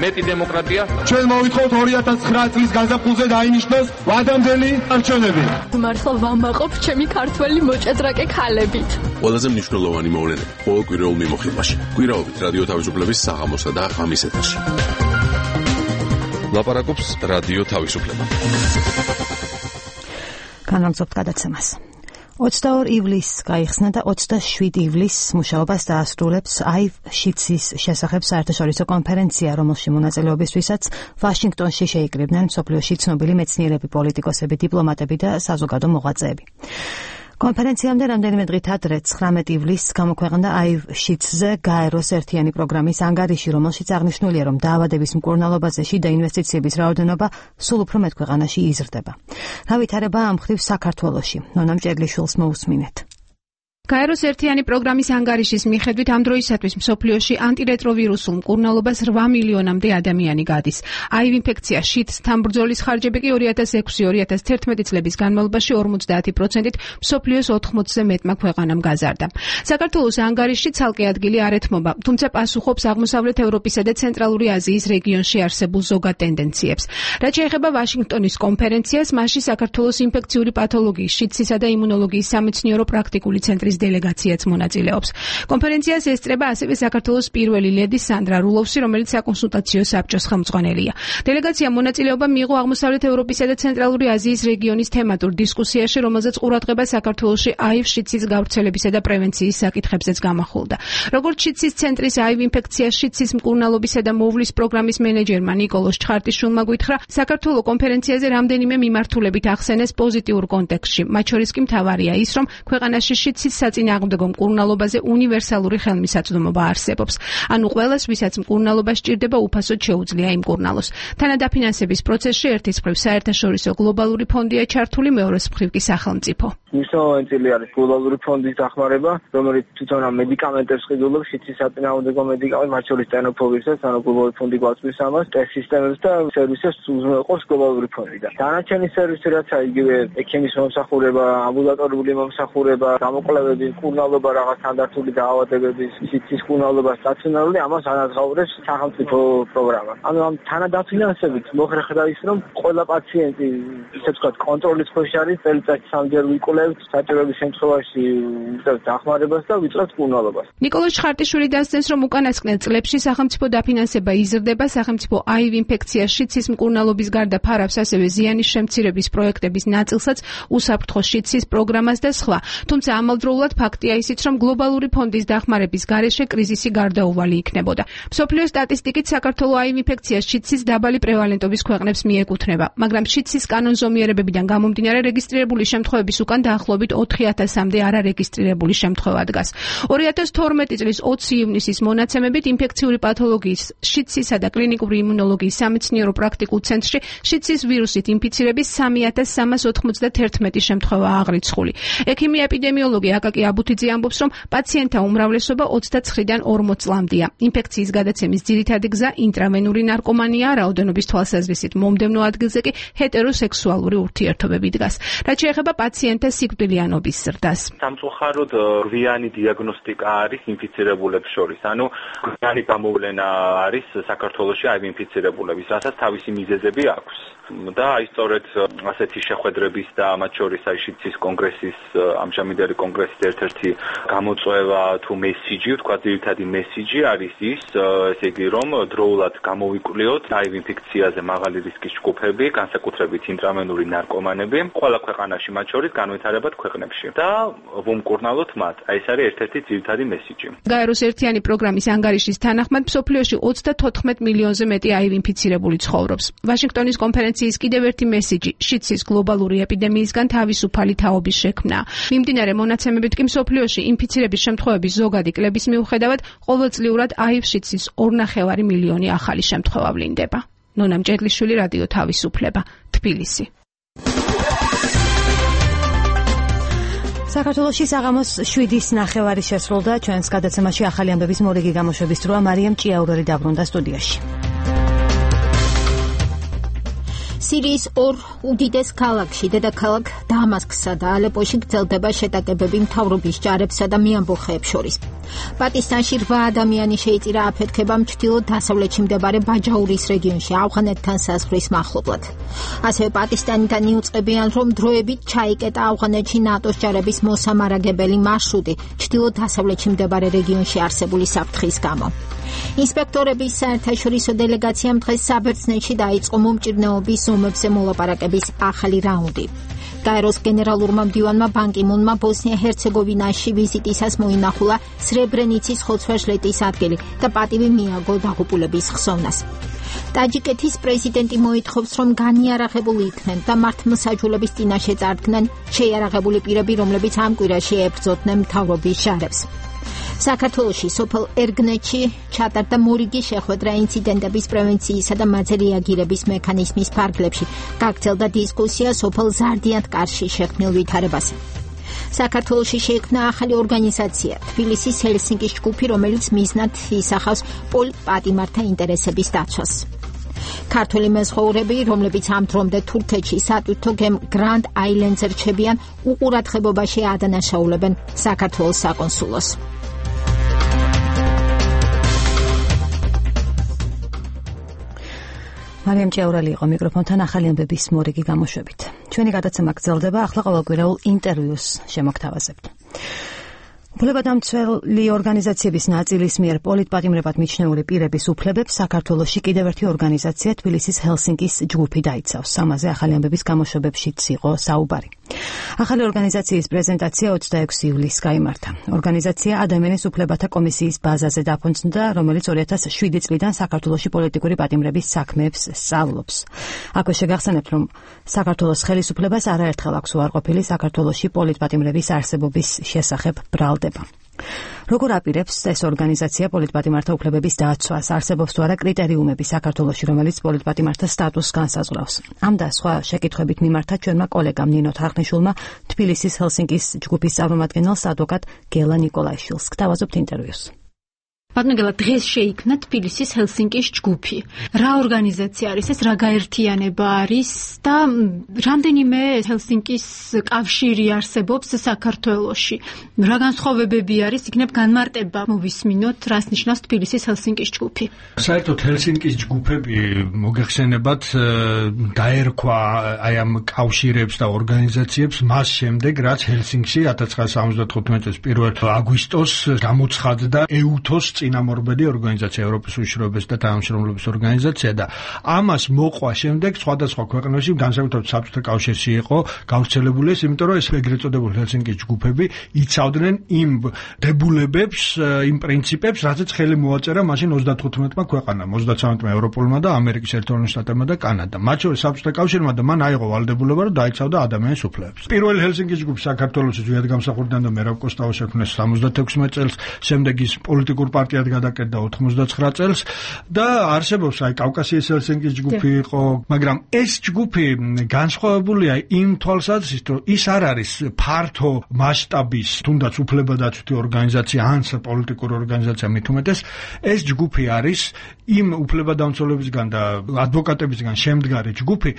Speaker 16: მეტი დემოკრატია.
Speaker 22: ჩვენ მოვითხოვთ 2009 წლის გაზაფხულზე დაინიშნოს ვადამდელი არჩევნები.
Speaker 23: მართლა ვამაყობ ჩემი ქართველი მოჭადრაკე ქალებით.
Speaker 6: ყველაზე მნიშვნელოვანი მოვლენები ყოველ კვირაულ მიმოხილვაში. კვირაობით რადიო თავისუფლების საღამოსა და ღამის ეთერში. ლაპარაკობს რადიო თავისუფლება.
Speaker 1: განაგზობთ გადაცემას. 22 ივლისს გაიხსნა და 27 ივლისს მუშაობას დაასრულებს აივ შიცის შესახებ საერთაშორისო კონფერენცია, რომელში მონაწილეობისთვისაც ვაშინგტონში შეიკრიბნენ მსოფლიოში ცნობილი მეცნიერები, პოლიტიკოსები, დიპლომატები და საზოგადო მოღვაწეები. კონფერენციამდე რამდენიმე დღით ადრე 19 ივლისს გამოქვეყნდა აივ შიცზე გაეროს ერთიანი პროგრამის ანგარიში, რომელშიც აღნიშნულია, რომ დაავადების მკურნალობაზე შიდა ინვესტიციების რაოდენობა სულ უფრო მეტ ქვეყანაში იზრდება. რა ვითარებაა ამ მხრივ საქართველოში? ნონა მჭედლიშვილს მოусმინეთ.
Speaker 24: გაეროს ერთიანი პროგრამის ანგარიშის მიხედვით ამ დროისათვის მსოფლიოში ანტირეტროვირუსულ მკურნალობას 8 მილიონამდე ადამიანი გადის. აივ ინფექცია შიდსთან ბრძოლის ხარჯები კი 2006-2011 წლების განმავლობაში 50%-ით მსოფლიოს 80-ზე მეტმა ქვეყანამ გაზარდა. საქართველოს ანგარიში ცალკე ადგილი არ ეთმობა, თუმცა პასუხობს აღმოსავლეთ ევროპისა და ცენტრალური აზიის რეგიონში არსებულ ზოგად ტენდენციებს. რაც შეეხება ვაშინგტონის კონფერენციას, მასში საქართველოს ინფექციური პათოლოგიის, შიდსისა და იმუნოლოგიის სამეცნიერო პრაქტიკული ცენტრის დელეგაციაც მონაწილეობს. კონფერენციას ესწრება ასევე საქართველოს პირველი ლედი სანდრა რულოვსი, რომელიც საკონსულტაციო საბჭოს ხელმძღვანელია. დელეგაციამ მონაწილეობა მიიღო აღმოსავლეთ ევროპისა და ცენტრალური აზიის რეგიონის თემატურ დისკუსიაში, რომელზეც ყურადღება საქართველოში აივ შიცის გავრცელებისა და პრევენციის საკითხებზეც გამახვილდა. როგორც შიცის ცენტრის აივ ინფექციის შიცის მკურნალობისა და მოვლის პროგრამის მენეჯერმა ნიკოლოზ ჩხარტიშვილმა გითხრა, საქართველოს კონფერენციაზე რამდენიმე მიმართულებით ახსენეს პოზიტიურ კონტექსტში. მათ შორის კი მთავარია ის, რომ ქვეყანაში შიცის საწინააღმდეგო მკურნალობაზე უნივერსალური ხელმისაწვდომობა არსებობს. ანუ ყველას, ვისაც მკურნალობა სჭირდება, უფასოდ შეუძლია იმკურნალოს. თანადაფინანსების პროცესში ერთის მხრივ საერთაშორისო გლობალური ფონდია ჩართული, მეორეს მხრივ კი სახელმწიფო.
Speaker 25: მნიშვნელოვანი წილი არის გლობალური ფონდის დახმარება, რომელიც თვითონ ამ მედიკამენტებს ყიდულობს, შიცის საწინააღმდეგო მედიკამენტ, მათ შორის ტენოფობისაც, ანუ გლობალური ფონდი გვაწვის ამას, ტესტ სისტემებს და სერვისებს უზრუნველყოფს გლობალური ფონდი. დანარჩენი სერვისი, რაც იგივე ექიმის მომსახურება, ამბულატორიული მომსახურება, გამოკვლევები, მკურნალობა, რაღაც სტანდარტული დაავადებების, შიცის მკურნალობა სტაციონარული, ამას ანაზღაურებს სახელმწიფო პროგრამა. ანუ ამ თანადაფინანსებით მოხერხდა ის, რომ ყველა პაციენტი, ისე ვთქვათ, კონტროლის ქვეშ არის, წელიწადში 3 ჯერ ვიკვლევთ, საჭიროების შემთხვევაში ვიწევთ დახმარებას და ვიწევთ მკურნალობას.
Speaker 24: ნიკოლოზ ჩხარტიშვილი დასცენს, რომ უკანასკნელ წლებში სახელმწიფო დაფინანსება იზრდება, სახელმწიფო აივ ინფექციის შიცის მკურნალობის გარდა ფარავს ასევე ზიანის შემცირების პროექტების ნაწილსაც, უსაფრთხო შიცის პროგრამას და სხვა. თუმცა ამავდროულად ფაქტია ისიც, რომ გლობალური ფონდის დახმარების გარეშე კრიზისი გარდაუვალი იქნებოდა. მსოფლიო სტატისტიკით საქართველოს აივ ინფექციის შიცის დაბალი პრევალენტობის ქვეყნებს მიეკუთვნება, მაგრამ შიცის კანონზომიერებებიდან გამომდინარე რეგისტრირებული შემთხვევების უკან დაახლოებით 4000-მდე არარეგისტრირებული შემთხვევა დგას. 2012 წლის 20 ივნისის მონაცემებით ინფექციური პათოლოგიის, შიცისა და კლინიკური იმუნოლოგიის სამეცნიერო პრაქტიკულ ცენტრში შიცის ვირუსით ინფიცირების 3391 შემთხვევა აღრიცხული. ექიმი ეპიდემიოლოგი აკაკი აბუთიძე ამბობს, რომ პაციენტთა უმრავლესობა 29-დან 40 წლამდეა. ინფექციის გადაცემის ძირითადი გზა ინტრავენური ნარკომანია, რაოდენობის თვალსაზრისით მომდევნო ადგილზე კი ჰეტეროსექსუალური ურთიერთობები დგას. რაც შეეხება პაციენტთა სიკვდილიანობის ზრდას.
Speaker 26: სამწუხაროდ გვიანი დიაგნოსტიკა არის ინფიცირებულებს შორის. ანუ გვიანი გამოვლენა არის საქართველოში აივ ინფიცირებულების, რასაც თავისი მიზეზები აქვს. და აი სწორედ ასეთი შეხვედრების და მათ შორის აი შიცის კონგრესის ამჟამინდელი კონგრესის ერთ-ერთი გამოწვევა თუ მესიჯი, თქვა ძირითადი მესიჯი არის ის, ესე იგი რომ დროულად გამოვიკვლიოთ აივ ინფექციაზე მაღალი რისკის ჯგუფები, განსაკუთრებით ინტრავენური ნარკომანები, ყველა ქვეყანაში მათ შორის განვითარებად ქვეყნებში და ვუმკურნალოთ მათ. აი ეს არის ერთ-ერთი ძირითადი მესიჯი.
Speaker 24: გაეროს ერთიანი პროგრამის ანგარიშის თანახმად მსოფლიოში 34 მილიონზე მეტი HIV ინფიცირებული ცხოვრობს. ვაშინგტონის კონფერენციის კიდევ ერთი მესიჯი შიდსის გლობალური ეპიდემიისგან თავისუფალი თაობის შექმნა. მიმდინარე მონაცემებით კი მსოფლიოში ინფიცირების შემთხვევების ზოგადი კლების მიუხედავად ყოველწლიურად HIV შიდსის 2.5 მილიონი ახალი შემთხვევა ვლინდება. ნონა მჭედლიშვილი, რადიო თავისუფლება, თბილისი.
Speaker 1: საქართველოში საღამოს 7:09 შესრულდა ჩვენს გადაცემაში ახალი ამბების მორიგი გამოშვების დროა. მარიამ ჭიაურელი დაბრუნდა სტუდიაში.
Speaker 2: სირიის ორ უდიდეს ქალაქში, დედაქალაქ დამასკსა და ალეპოში გრძელდება შეტაკებები მთავრობის ჯარებსა და მეამბოხეებს შორის. პაკისტანში 8 ადამიანი შეიწირა აფეთქებამ ჩრდილო-დასავლეთში მდებარე ბაჯაურის რეგიონში ავღანეთთან საზღვრის მახლობლად. ასევე პაკისტანიდან იუწყებიან, რომ დროებით ჩაიკეტა ავღანეთში ნატოს ჯარების მოსამარაგებელი მარშრუტი ჩრდილო-დასავლეთში მდებარე რეგიონში არსებული საფრთხის გამო. ინსპექტორების საერთაშორისო დელეგაციამ დღეს საბერძნეთში დაიწყო მომჭირნეობის ზომებზე მოლაპარაკების ახალი რაუნდი. გაეროს გენერალურმა მდივანმა ბან კი მუნმა ბოსნია-ჰერცეგოვინაში ვიზიტისას მოინახულა სრებრენიცის ხოცვა-ჟლეტის ადგილი და პატივი მიაგო დაღუპულების ხსოვნას. ტაჯიკეთის პრეზიდენტი მოითხოვს, რომ განიარაღებული იქნენ და მართლმსაჯულების წინაშე წარდგნენ შეიარაღებული პირები, რომლებიც ამ კვირაში ებრძოდნენ მთავრობის ჯარებს. საქართველოში სოფელ ერგნეთში ჩატარდა მორიგი შეხვედრა ინციდენტების პრევენციისა და მათზე რეაგირების მექანიზმის ფარგლებში. გაგრძელდა დისკუსია სოფელ ზარდიანთკარში შექმნილ ვითარებაზე. საქართველოში შეიქმნა ახალი ორგანიზაცია, თბილისის ჰელსინკის ჯგუფი, რომელიც მიზნად ისახავს პოლიტპატიმართა ინტერესების დაცვას. ქართველი მეზღვაურები, რომლებიც ამ დრომდე თურქეთში სატვირთო გემ გრანდ აილენდზე რჩებიან, უყურადღებობაში ადანაშაულებენ საქართველოს საკონსულოს.
Speaker 1: მარიამ ჭიაურელი იყო მიკროფონთან ახალი ამბების მორიგი გამოშვებით. ჩვენი გადაცემა გრძელდება, ახლა ყოველკვირეულ ინტერვიუს შემოგთავაზებთ. უფლებადამცველი ორგანიზაციების ნაწილის მიერ პოლიტპატიმრებად მიჩნეული პირების უფლებებს საქართველოში კიდევ ერთი ორგანიზაცია თბილისის ჰელსინკის ჯგუფი დაიცავს. ამაზე ახალი ამბების გამოშვებებშიც იყო საუბარი. ახალი ორგანიზაციის პრეზენტაცია 26 ივლისს გაიმართა. ორგანიზაცია ადამიანის უფლებათა კომისიის ბაზაზე დაფუძნდა, რომელიც 2007 წლიდან საქართველოში პოლიტიკური პატიმრების საქმეებს სწავლობს. აქვე შეგახსენებთ, რომ საქართველოს ხელისუფლებას არაერთხელ აქვს უარყოფილი საქართველოში პოლიტპატიმრების არსებობის შესახებ ბრალდება. როგორ აპირებს ეს ორგანიზაცია პოლიტპატიმართა უფლებების დაცვას? არსებობს თუ არა კრიტერიუმები საქართველოში, რომელიც პოლიტპატიმართა სტატუსს განსაზღვრავს? ამ და სხვა შეკითხვებით მიმართა ჩვენმა კოლეგამ ნინო თარხნიშვილმა თბილისის ჰელსინკის ჯგუფის წარმომადგენელს ადვოკატ გელა ნიკოლაიშვილს. გთავაზობთ ინტერვიუს.
Speaker 3: ბატონო, დღეს შეიქმნა თბილისის ჰელსინკის ჯგუფი. რა ორგანიზაცია არის ეს, რა გაერთიანება არის და რამდენიმე ჰელსინკის კავშირი არსებობს საქართველოში? რა განსხვავებები არის? იქნებ განმარტება მოვისმინოთ, რას ნიშნავს თბილისის ჰელსინკის ჯგუფი?
Speaker 5: საერთოდ ჰელსინკის ჯგუფები მოგეხსენებათ დაერქვა აი ამ კავშირებს და ორგანიზაციებს მას შემდეგ, რაც ჰელსინკში 1975 წლის 1 აგვისტოს გამოცხადდა ეუთოს წინამორბედი ორგანიზაცია, ევროპის უშიშროების და თანამშრომლობის ორგანიზაცია და ამას მოყვა შემდეგ სხვადასხვა ქვეყნებში, განსაკუთრებით საბჭოთა კავშირში იყო გავრცელებული ეს, იმიტომ რომ ეს ეგრეთ წოდებული ჰელსინკის ჯგუფები იცავდნენ იმ დებულებებს, იმ პრინციპებს, რაზეც ხელი მოაწერა მაშინ 35-მა ქვეყანამ, 33-მა ევროპულმა და ამერიკის ერთეულმა შტატებმა და კანადამ. მათ შორის საბჭოთა კავშირმა და მან აიღო ვალდებულება, რომ დაიცავდა ადამიანის უფლებებს. პირველი ჰელსინკის ჯგუფი საქართველოში ზვიად გამსახურდიდან და მერაბ კოსტავა შექმნეს 76 წელს, შემდეგ ის პოლიტიკურ პარტიად გადაკეთდა 89 წელს და არსებობს აი კავკასიის ჰელსინკის ჯგუფი იყო, მაგრამ ეს ჯგუფი განსხვავებულია იმ თვალსაზრისით, რომ ის არ არის ფართო მასშტაბის, თუნდაც უფლებადაცვითი ორგანიზაცია ან პოლიტიკური ორგანიზაცია მით უმეტეს, ეს ჯგუფი არის იმ უფლებადამცველებისგან და ადვოკატებისგან შემდგარი ჯგუფი,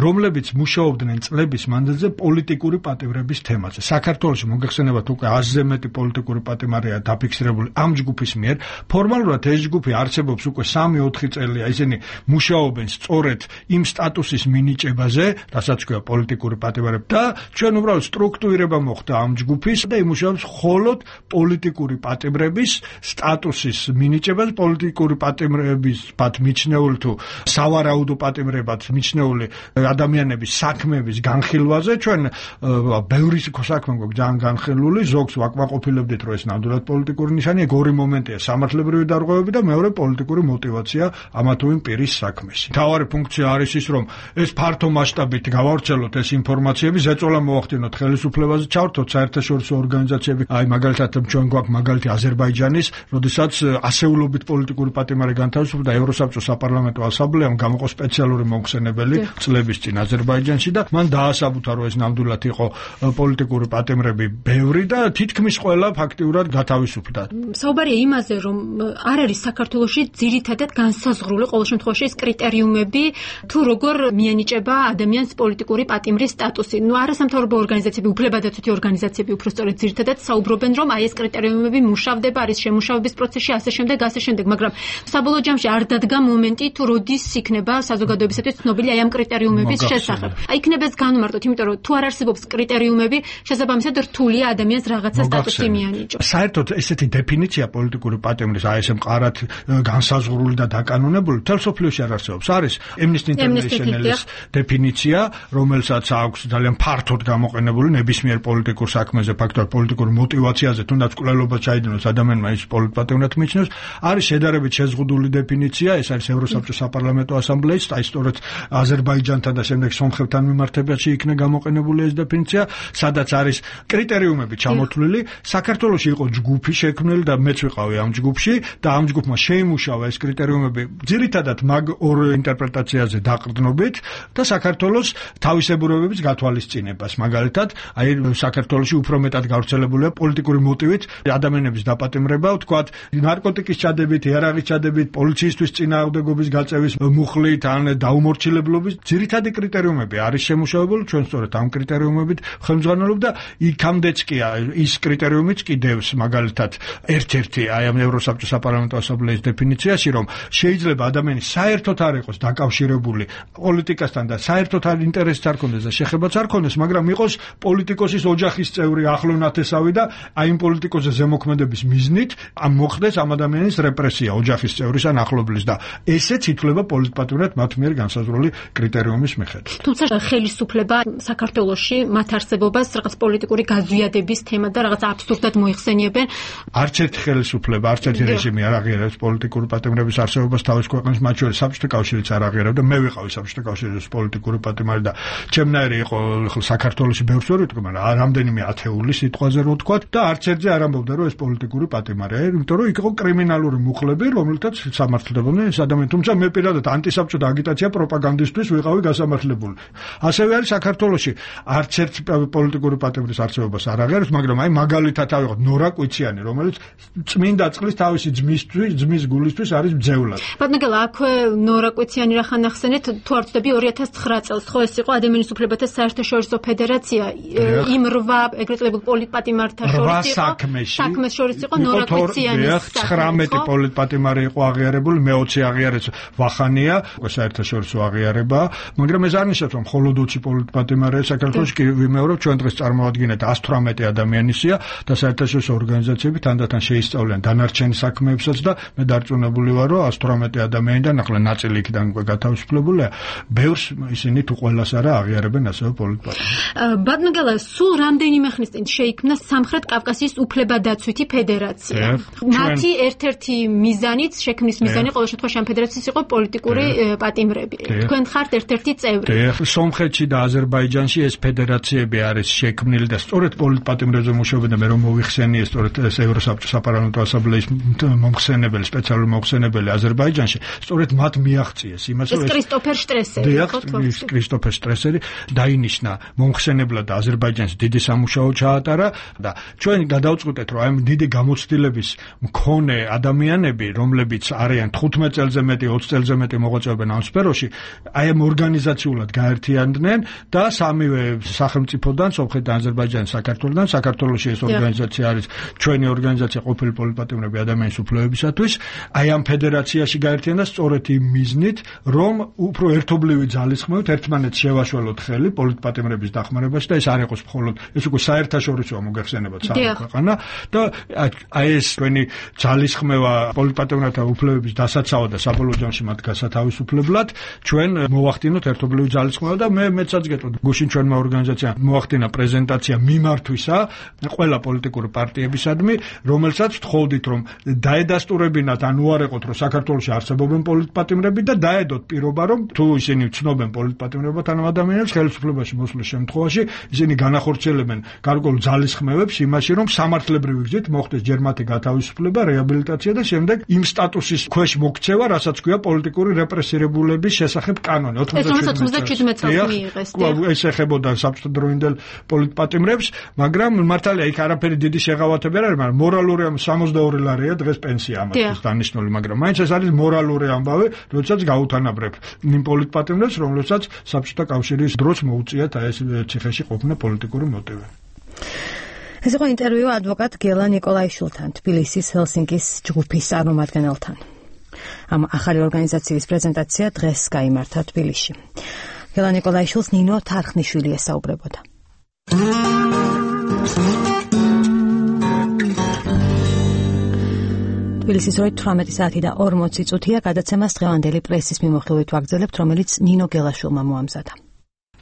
Speaker 5: რომლებიც მუშაობდნენ წლების მანძილზე პოლიტიკური პატიმრების თემაზე. საქართველოში მოგეხსენებათ უკვე 100-ზე მეტი პოლიტიკური პატიმარია დაფიქსირებული ამ ჯგუფის მიერ, ფორმალურად ეს ჯგუფი არსებობს უკვე 3-4 წელია, ისინი მუშაობენ სწორედ იმ სტატუსის მინიჭებაზე, რასაც ქვია პოლიტიკური პატიმრები და ჩვენ უბრალოდ სტრუქტურირება მოხდა ამ ჯგუფის და იმუშავებს მხოლოდ პოლიტიკური პატიმრების სტატუსის მინიჭებას, პოლიტიკური პატიმრების მიჩნეული თუ სავარაუდო პატიმრებად მიჩნეული ადამიანების საქმეების განხილვაზე ჩვენ ბევრი საქმე გვაქვს ძალიან განხილული, ზოგს ვაკმაყოფილებდით, რომ ეს ნამდვილად პოლიტიკური ნიშანია, ორი მომენტია: სამართლებრივი დარღვევები და მეორე პოლიტიკური мотиваცია ამა თუ იმ პირის საქმეს. მთავარი ფუნქცია არის ის, რომ ეს ფართო მასშტაბით გავავრცელოთ ეს ინფორმაციები, ზეწოლა მოახდინოთ ხელისუფლებაზე, ჩავრთოთ საერთაშორისო ორგანიზაციები, აი მაგალითად ჩვენ გვაქვს მაგალითი აზერბაიჯანის, როდესაც ასეულობით პოლიტიკური პატიმარი განთავისუფლდა ევროსაბჭოს საპარლამენტო ასამბლეამ გამოყო სპეციალური მომხსენებელი წლების წინ აზერბაიჯანში და მან დაასაბუთა, რომ ეს ნამდვილად იყო პოლიტიკური პატიმრები ბევრი და თითქმის ყველა ფაქტიურად გათავისუფლდა.
Speaker 3: საუბარია იმაზე, რომ არ არის საქართველოში ძირითადად განსაზღვრული ყოველ შემთხვევაში ეს კრიტერიუმები, თუ როგორ მიანიჭება ადამიანს პოლიტიკური პატიმრის სტატუსი. არასამთავრობო ორგანიზაციები, უფლებადაცვითი ორგანიზაციები უბრალოდ ძირითადად საუბრობენ, რომ აი ეს კრიტერიუმები მუშავდება, არის შემუშავების პროცესში, ასე შემდეგ, მაგრამ საბოლოო ჯამში არ დადგა მომენტი, თუ როდის იქნება საზოგადოებისათვის ცნობილი აი ამ კრიტერიუმების შესახებ. აი იქნება ეს განმარტოთ, იმიტომ რომ თუ არ არსებობს კრიტერიუმები, შესაბამისად რთულია ადამიანს რაღაცა სტატუსი მიანიჭოს.
Speaker 5: საერთოდ ესეთი დეფინიცია პოლიტიკური პატიმრის, აი ესე მყარად განსაზღვრული და დაკანონებული, მთელ სოფლიოში არ არსებობს. არის Amnesty International-ის დეფინიცია, რომელსაც აქვს ძალიან ფართოდ გამოყენებული ნებისმიერ პოლიტიკურ საქმეზე, ფაქტობრივად პოლიტიკურ мотиваციაზე, თუნდაც კვლელობა ჩაიდენოს ადამიანმა ის პოლიტპატიმრად მიჩნევს. არის შედარებით შეზღუდული დეფინიცია, ეს არის ევროსაბჭოს საპარლამენტო ასამბლეის, აი სწორედ აზერბაიჯანთან და შემდეგ სომხებთან მიმართებაში იქნა გამოყენებული ეს დეფინიცია, სადაც არის კრიტერიუმები ჩამოთვლილი. საქართველოში იყო ჯგუფი შექმნილი და მეც ვიყავი ამ ჯგუფში და ამ ჯგუფმა შეიმუშავა ეს კრიტერიუმები ძირითადად მაგ ორ ინტერპრეტაციაზე დაყრდნობით და საქართველოს თავისებურებების გათვალისწინებას. მაგალითად, აი საქართველოში უფრო მეტად გავრცელებულია პოლიტიკური მოტივით ადამიანების დაპატიმრება, ვთქვათ, ნარკოტიკის ჩადებით, იარაღის ჩადებით, პოლიციისთვის წინააღმდეგობის გაწევის მუხლით ან დაუმორჩილებლობის ძირითადი კრიტერიუმები არის შემუშავებული, ჩვენ სწორედ ამ კრიტერიუმებით ხელმძღვანელობ და იქამდეც კი ის კრიტერიუმიც კიდევს მაგალითად ერთ-ერთი აი ამ ევროსაბჭოს საპარლამენტო ასამბლეის დეფინიციაში, რომ შეიძლება ადამიანი საერთოდ არ იყოს დაკავშირებული პოლიტიკასთან და საერთოდ არ ინტერესს არ ქონდეს და შეხებაც არ ქონდეს, მაგრამ იყოს პოლიტიკოსის ოჯახის წევრი, ახლო ნათესავი და აი იმ პოლიტიკოსზე ზემოქმედების მიზნით ამ მოხდეს ამ ადამიანის რეპრესია ოჯახის წევრის ან ახლობლის და ესეც ითვლება პოლიტპატიმრად მათ მიერ განსაზღვრული კრიტერიუმის მიხედვით.
Speaker 3: თუმცა ხელისუფლება საქართველოში მათ არსებობას რაღაც პოლიტიკური გაზვიადების თემა და რაღაც აბსურდად მოიხსენიებენ.
Speaker 5: არც ერთი ხელისუფლება, არც ერთი რეჟიმი არ აღიარებს პოლიტიკური პატიმრების არსებობას თავის ქვეყნის, მათ შორის საბჭოთა კავშირიც არ აღიარებდა. მე ვიყავი საბჭოთა კავშირის პოლიტიკური პატიმარი და ჩემნაირი იყო საქართველოში ბევრს ვერ ვიტყვი, მაგრამ რამდენიმე ათეული სიტყვაზე რო ვთქვათ და არც ერთზე არ ამბობდა, რომ ეს პოლიტიკური პატიმარია, იმიტომ რომ იქ იყო კრიმინალური მუხლები, რომელთაც სამართლებდნენ ეს ადამიანი. თუმცა მე პირადად ანტისაბჭოთა აგიტაცია პროპაგანდისტვის ვიყავი გასამართლებული. ასევე არის საქართველოში არც ერთ პოლიტიკური პატიმრის არსებობას არ აღიარებს, მაგრამ აი მაგალითად ავიღოთ ნორა კვიციანი, რომელიც წმინდა წყლის თავისი ძმის გულისთვის არის მძევლად.
Speaker 3: ბატონო, აქვე ნორა კვიციანი რა ხან ახსენეთ, თუ არ ვცდები 2009 წელს, ხო ეს იყო ადამიანის უფლებათა საერთაშორისო ფედერაცია, იმ 8 ეგრეთ წოდებულ პოლიტპატიმართა შორის იყო, საქმეს შორის იყო ნორა კვიციანის
Speaker 5: 19 პოლიტპატიმარი იყო აღიარებული, მე-20 აღიარეს ვახანია, საერთაშორისო აღიარება, მაგრამ ეს არ ნიშნავს, რომ მხოლოდ 20 პოლიტპატიმარია საქართველოში, კი ვიმეორებ, ჩვენ დღეს წარმოვადგინეთ 118 ადამიანისია და საერთაშორისო ორგანიზაციები თანდათან შეისწავლიან დანარჩენ საქმეებსაც და მე დარწმუნებული ვარ, რომ 118 ადამიანიდან ახლა ნაწილი იქიდან გათავისუფლებულია, ბევრს ისინი თუ ყველას არა აღიარებენ ასევე პოლიტპატიმრად.
Speaker 3: ბატონო გელა, სულ რამდენიმე ხნის წინ შეიქმნა სამხრეთ კავკასიის უფლებადაცვითი ფედერაცია. მათი ერთ-ერთი მიზანიც, შექმნის მიზანი ყოველ შემთხვევაში ამ ფედერაციის იყო პოლიტიკური პატიმრები. თქვენ ხართ ერთ-ერთი წევრი.
Speaker 5: სომხეთში და აზერბაიჯანში ეს ფედერაციები არის შექმნილი და სწორედ პოლიტპატიმრებზე მუშაობენ და მე რომ მოვიხსენიე სწორედ ეს ევროსაბჭოს საპარლამენტო ასამბლეის მომხსენებელი, სპეციალური მომხსენებელი აზერბაიჯანში, სწორედ მათ მიაღწიეს იმას,
Speaker 3: რომ ეს კრისტოფერ შტრესერი,
Speaker 5: კრისტოფერ შტრესერი დაინიშნა მომხსენებლად აზერბაიჯანში დიდი სამუშაო ჩაატარა და ჩვენ გადავწყვიტეთ, რომ აი დიდი გამოცდილების მქონე ადამიანები, რომლებიც არიან 15 წელზე მეტი, 20 წელზე მეტი მოღვაწეობენ ამ სფეროში, აი ამ ორგანიზაციულად გაერთიანდნენ და სამივე სახელმწიფოდან, სომხეთიდან, აზერბაიჯანიდან, საქართველოსთან, საქართველოში ეს ორგანიზაცია არის ჩვენი ორგანიზაცია ყოფილი პოლიტპატიმრები ინიციატივები ადამიანის უფლებებისათვის აი ამ ფედერაციაში გაერთიანდა სწორედ იმ მიზნით, რომ უფრო ერთობლივი ძალისხმევით ერთმანეთს შევაშველოთ ხელი პოლიტპატიმრების დახმარებაში და ეს არ იყოს მხოლოდ ეს უკვე საერთაშორისო მოგეხსენებათ სამი ქვეყანა და აი ეს თქვენი ძალისხმევა პოლიტპატიმრებთან უფლებების დასაცავად და საბოლოო ჯამში მათ გასათავისუფლებლად ჩვენ მოვახდინოთ ერთობლივი ძალისხმევა და მეცაც გეტყვით გუშინ ჩვენმა ორგანიზაციამ მოახდინა პრეზენტაცია მიმართვისა ყველა პოლიტიკური პარტიებისადმი, რომელსაც ვთხოვდით რომ დაედასტურებინათ ან უარეყოთ რომ საქართველოში არსებობენ პოლიტპატიმრები და დაედოთ პირობა რომ თუ ისინი ცნობენ პოლიტპატიმრებად ან ადამიანებს ხელისუფლებაში მოსვლის შემთხვევაში ისინი განახორციელებენ გარკვეულ ძალისხმევებს იმაში რომ სამართლებრივი გზით მოხდეს ჯერ მათი გათავისუფლება, რეაბილიტაცია და შემდეგ იმ სტატუსის ქვეშ მოქცევა, რასაც ქვია პოლიტიკური რეპრესირებულების შესახებ კანონი
Speaker 3: 97 წელს მიიღეს.
Speaker 5: ეს ეხებოდა საბჭოთა დროინდელ პოლიტპატიმრებს, მაგრამ მართალია იქ არაფერი დიდი შეღავათები არ არის, მაგრამ მორალური 62 ლარია დღეს პენსია ამათთვის დანიშნული, მაგრამ მაინც ეს არის მორალური ამბავი, როდესაც გაუთანაბრებ იმ პოლიტპატიმრებს, რომლებსაც საბჭოთა კავშირის დროს მოუწიათ აი ეს ციხეში ყოფნა პოლიტიკური მოტივი.
Speaker 1: ეს იყო ინტერვიუ ადვოკატ გელა ნიკოლაიშვილთან, თბილისის ჰელსინკის ჯგუფის წარმომადგენელთან. ამ ახალი ორგანიზაციის პრეზენტაცია დღეს გაიმართა თბილისში. გელა ნიკოლაიშვილს ნინო თარხნიშვილი ესაუბრებოდა. თბილისის 18 საათი და 40 წუთია გადაცემას დღევანდელი პრესის მიმოხილვით ვაგრძელებთ, რომელიც ნინო გელაშვილმა მოამზადა.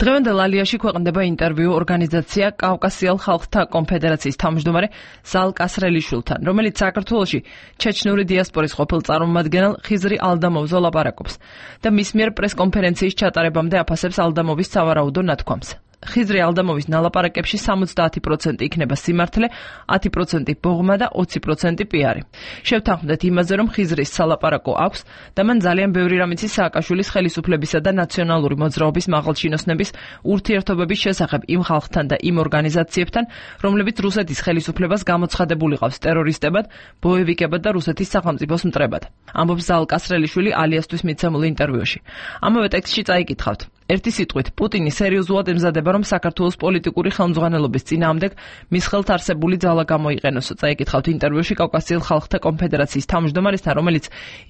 Speaker 7: დღევანდელ ალიაში ქვეყნდება ინტერვიუ ორგანიზაცია კავკასიელ ხალხთა კონფედერაციის თავმჯდომარე ზალ კასრელიშვილთან, რომელიც საქართველოში ჩეჩნური დიასპორის ყოფილ წარმომადგენელ ხიზრი ალდამოვზე ლაპარაკობს და მის მიერ პრესკონფერენციის ჩატარებამდე აფასებს ალდამოვის სავარაუდო ნათქვამს. ხიზრი ალდამოვის ნალაპარაკებში 70% იქნება სიმართლე, 10% ბოღმა და 20% პიარი. შევთანხმდეთ იმაზე, რომ ხიზრის სალაპარაკო აქვს და მან ძალიან ბევრი რამ იცის სააკაშვილის ხელისუფლებისა და ნაციონალური მოძრაობის მაღალჩინოსნების ურთიერთობების შესახებ იმ ხალხთან და იმ ორგანიზაციებთან, რომლებიც რუსეთის ხელისუფლებას გამოცხადებული ყავს ტერორისტებად, ბოევიკებად და რუსეთის სახელმწიფოს მტრებად. ამბობს ზალ კასრელიშვილი ალიასთვის მიცემულ ინტერვიუში. ამავე ტექსტში წაიკითხავთ. ერთი სიტყვით, პუტინი სერიოზულად ემზადება, რომ საქართველოს პოლიტიკური ხელმძღვანელობის წინააღმდეგ მის ხელთ არსებული ძალა გამოიყენოს. წაიკითხავთ ინტერვიუში კავკასიელ ხალხთა კონფედერაციის თავმჯდომარესთან, რომელიც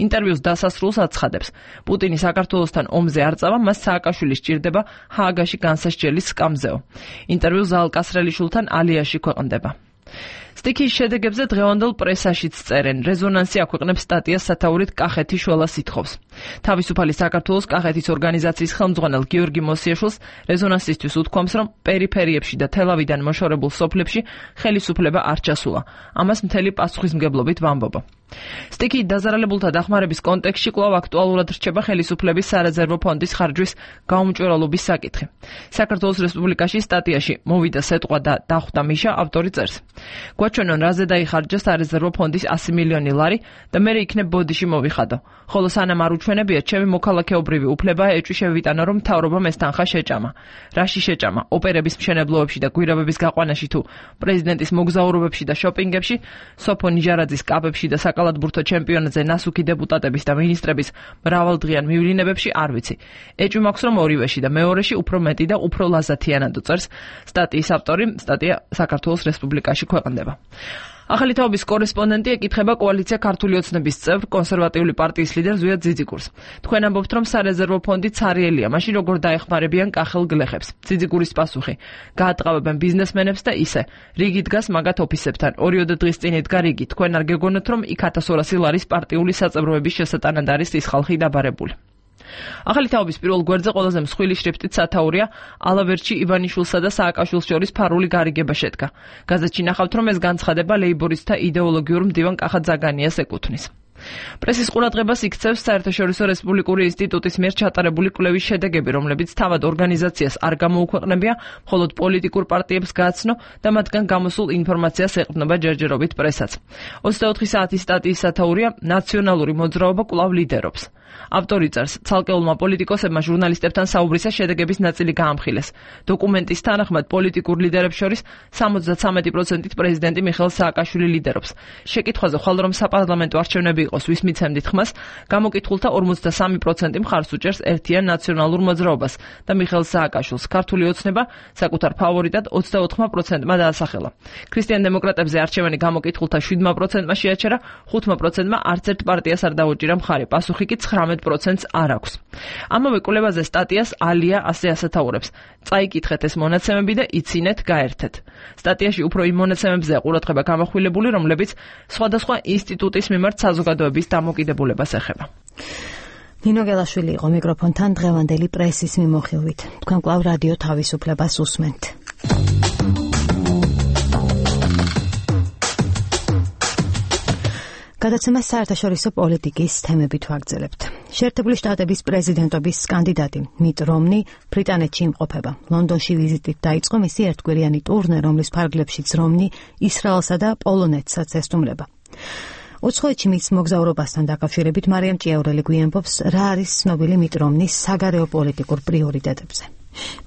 Speaker 7: ინტერვიუს დასასრულს აცხადებს. პუტინი საქართველოსთან ომზე არ წავა, მას სააკაშვილი სჭირდება ჰააგაში განსასჯელის სკამზეო. ინტერვიუ ზალ კასრელიშვილთან ალიაში ქვეყნდება. სტიქის შედეგებზე დღევანდელ პრესაშიც წერენ. რეზონანსი აქვეყნებს სტატიას სათაურით კახეთი შველა სითხოვს. თავისუფალი საქართველოს კახეთის ორგანიზაციის ხელმძღვანელ გიორგი მოსიაშვილს რეზონანსისთვის უთქვამს, რომ პერიფერიებში და თელავიდან მოშორებულ სოფლებში ხელისუფლება არ ჩასულა. ამას მთელი პასუხისმგებლობით ვამბობ. სტიქი დაზარალებულთა დახმარების კონტექსტში კვლავ აქტუალურად რჩება ხელისუფლების სარეზერვო ფონდის ხარჯვის გაუმჭვირვალობის საკითხი. საქართველოს რესპუბლიკაში სტატიაში მოვიდა სეტყვა და დახვდა მიშა, ავტორი წერს. გვაჩვენონ რაზე დაიხარჯა სარეზერვო ფონდის 100 მილიონი ლარი და მე იქნებ ბოდიში მოვიხადო. ხოლო სანამ არ უჩვენებია, ჩემი მოქალაქეობრივი უფლებაა ეჭვი შევიტანო, რომ მთავრობამ ეს თანხა შეჭამა. რაში შეჭამა? ოპერების მშენებლობებში და გვირაბების გაყვანაში თუ პრეზიდენტის მოგზაურობებში და შოპინგებში, სოფო ნიჟარაძის კაბებში და კალათბურთო ჩემპიონატზე ნასუქი დეპუტატების და მინისტრების მრავალდღიან მივლინებებში არ ვიცი. ეჭვი მაქვს, რომ ორივეში და მეორეში უფრო მეტი და უფრო ლაზათიანად წერს სტატიის ავტორი. სტატია საქართველოს რესპუბლიკაში ქვეყნდება. ახალი თაობის კორესპონდენტი ეკითხება კოალიცია ქართული ოცნების წევრ კონსერვატიული პარტიის ლიდერ ზვიად ძიძიგურს. თქვენ ამბობთ, რომ სარეზერვო ფონდი ცარიელია, მაშინ როგორ დაეხმარებიან კახელ გლეხებს? ძიძიგურის პასუხი: გაატყავებენ ბიზნესმენებს და ისე. რიგი დგას მაგათ ოფისებთან. 2 დღის წინ ედგა რიგი. თქვენ არ გეგონოთ, რომ იქ 1200 ლარის პარტიული საწევროების შესატანად არის ის ხალხი დაბარებული. ახალი თაობის პირველ გვერდზე ყველაზე მსხვილი შრიფტით სათაურია ალავერჩი ივანიშვილსა და სააკაშვილს შორის ფარული გარიგება შედგა. გაზეთში ნახავთ, რომ ეს განცხადება ლეიბორისტთა იდეოლოგიურ მდივან კახა ძაგანიას ეკუთვნის. პრესის ყურადღებას იქცევს საერთაშორისო რესპუბლიკური ინსტიტუტის მიერ ჩატარებული კვლევის შედეგები, რომლებიც თავად ორგანიზაციას არ გამოუქვეყნებია, მხოლოდ პოლიტიკურ პარტიებს გააცნო და მათგან გამოსულ ინფორმაციას ეყრდნობა ჯერჯერობით პრესაც. 24 საათის სტატიის სათაურია ნაციონალური მოძრაობა კვლავ ლიდერობს. ავტორი წერს, ცალკეულმა პოლიტიკოსებმა ჟურნალისტებთან საუბრისას შედეგების ნაწილი გაამხილეს. დოკუმენტის თანახმად პოლიტიკურ ლიდერებს შორის 73%-ით პრეზიდენტი მიხეილ სააკაშვილი ლიდერობს. შეკითხვაზე ხვალ რომ საპარლამენტო არჩევნები იყოს, ვის მიცემდით ხმას, გამოკითხულთა 53% მხარს უჭერს ერთიან ნაციონალურ მოძრაობას და მიხეილ სააკაშვილს. ქართული ოცნება საკუთარ ფავორიტად 24%-მა დაასახელა. ქრისტიან დემოკრატებზე არჩევანი გამოკითხულთა 7%-მა შეაჩერა, 5%-მა არც ერთ პარტიას არ დაუჭირა მხარი, პასუხი კი 19%-ს არ აქვს. ამავე კვლევაზე სტატიას ალია ასე ასათაურებს. წაიკითხეთ ეს მონაცემები და იცინეთ, გაერთეთ. სტატიაში უფრო იმ მონაცემებზეა ყურადღება გამახვილებული, რომლებიც სხვადასხვა ინსტიტუტის მიმართ საზოგადოების დამოკიდებულებას ეხება.
Speaker 1: ნინო გელაშვილი იყო მიკროფონთან დღევანდელი პრესის მიმოხილვით. თქვენ კვლავ რადიო თავისუფლებას უსმენთ. გადაცემას საერთაშორისო პოლიტიკის თემებით ვაგრძელებთ. შეერთებული შტატების პრეზიდენტობის კანდიდატი მიტ რომნი ბრიტანეთში იმყოფება. ლონდონში ვიზიტით დაიწყო მისი ერთკვირიანი ტურნე, რომლის ფარგლებშიც რომნი ისრაელსა და პოლონეთსაც ესტუმრება. უცხოეთში მის მოგზაურობასთან დაკავშირებით მარიამ ჭიაურელი გვიამბობს, რა არის ცნობილი მიტ რომნის საგარეო პოლიტიკურ პრიორიტეტებზე.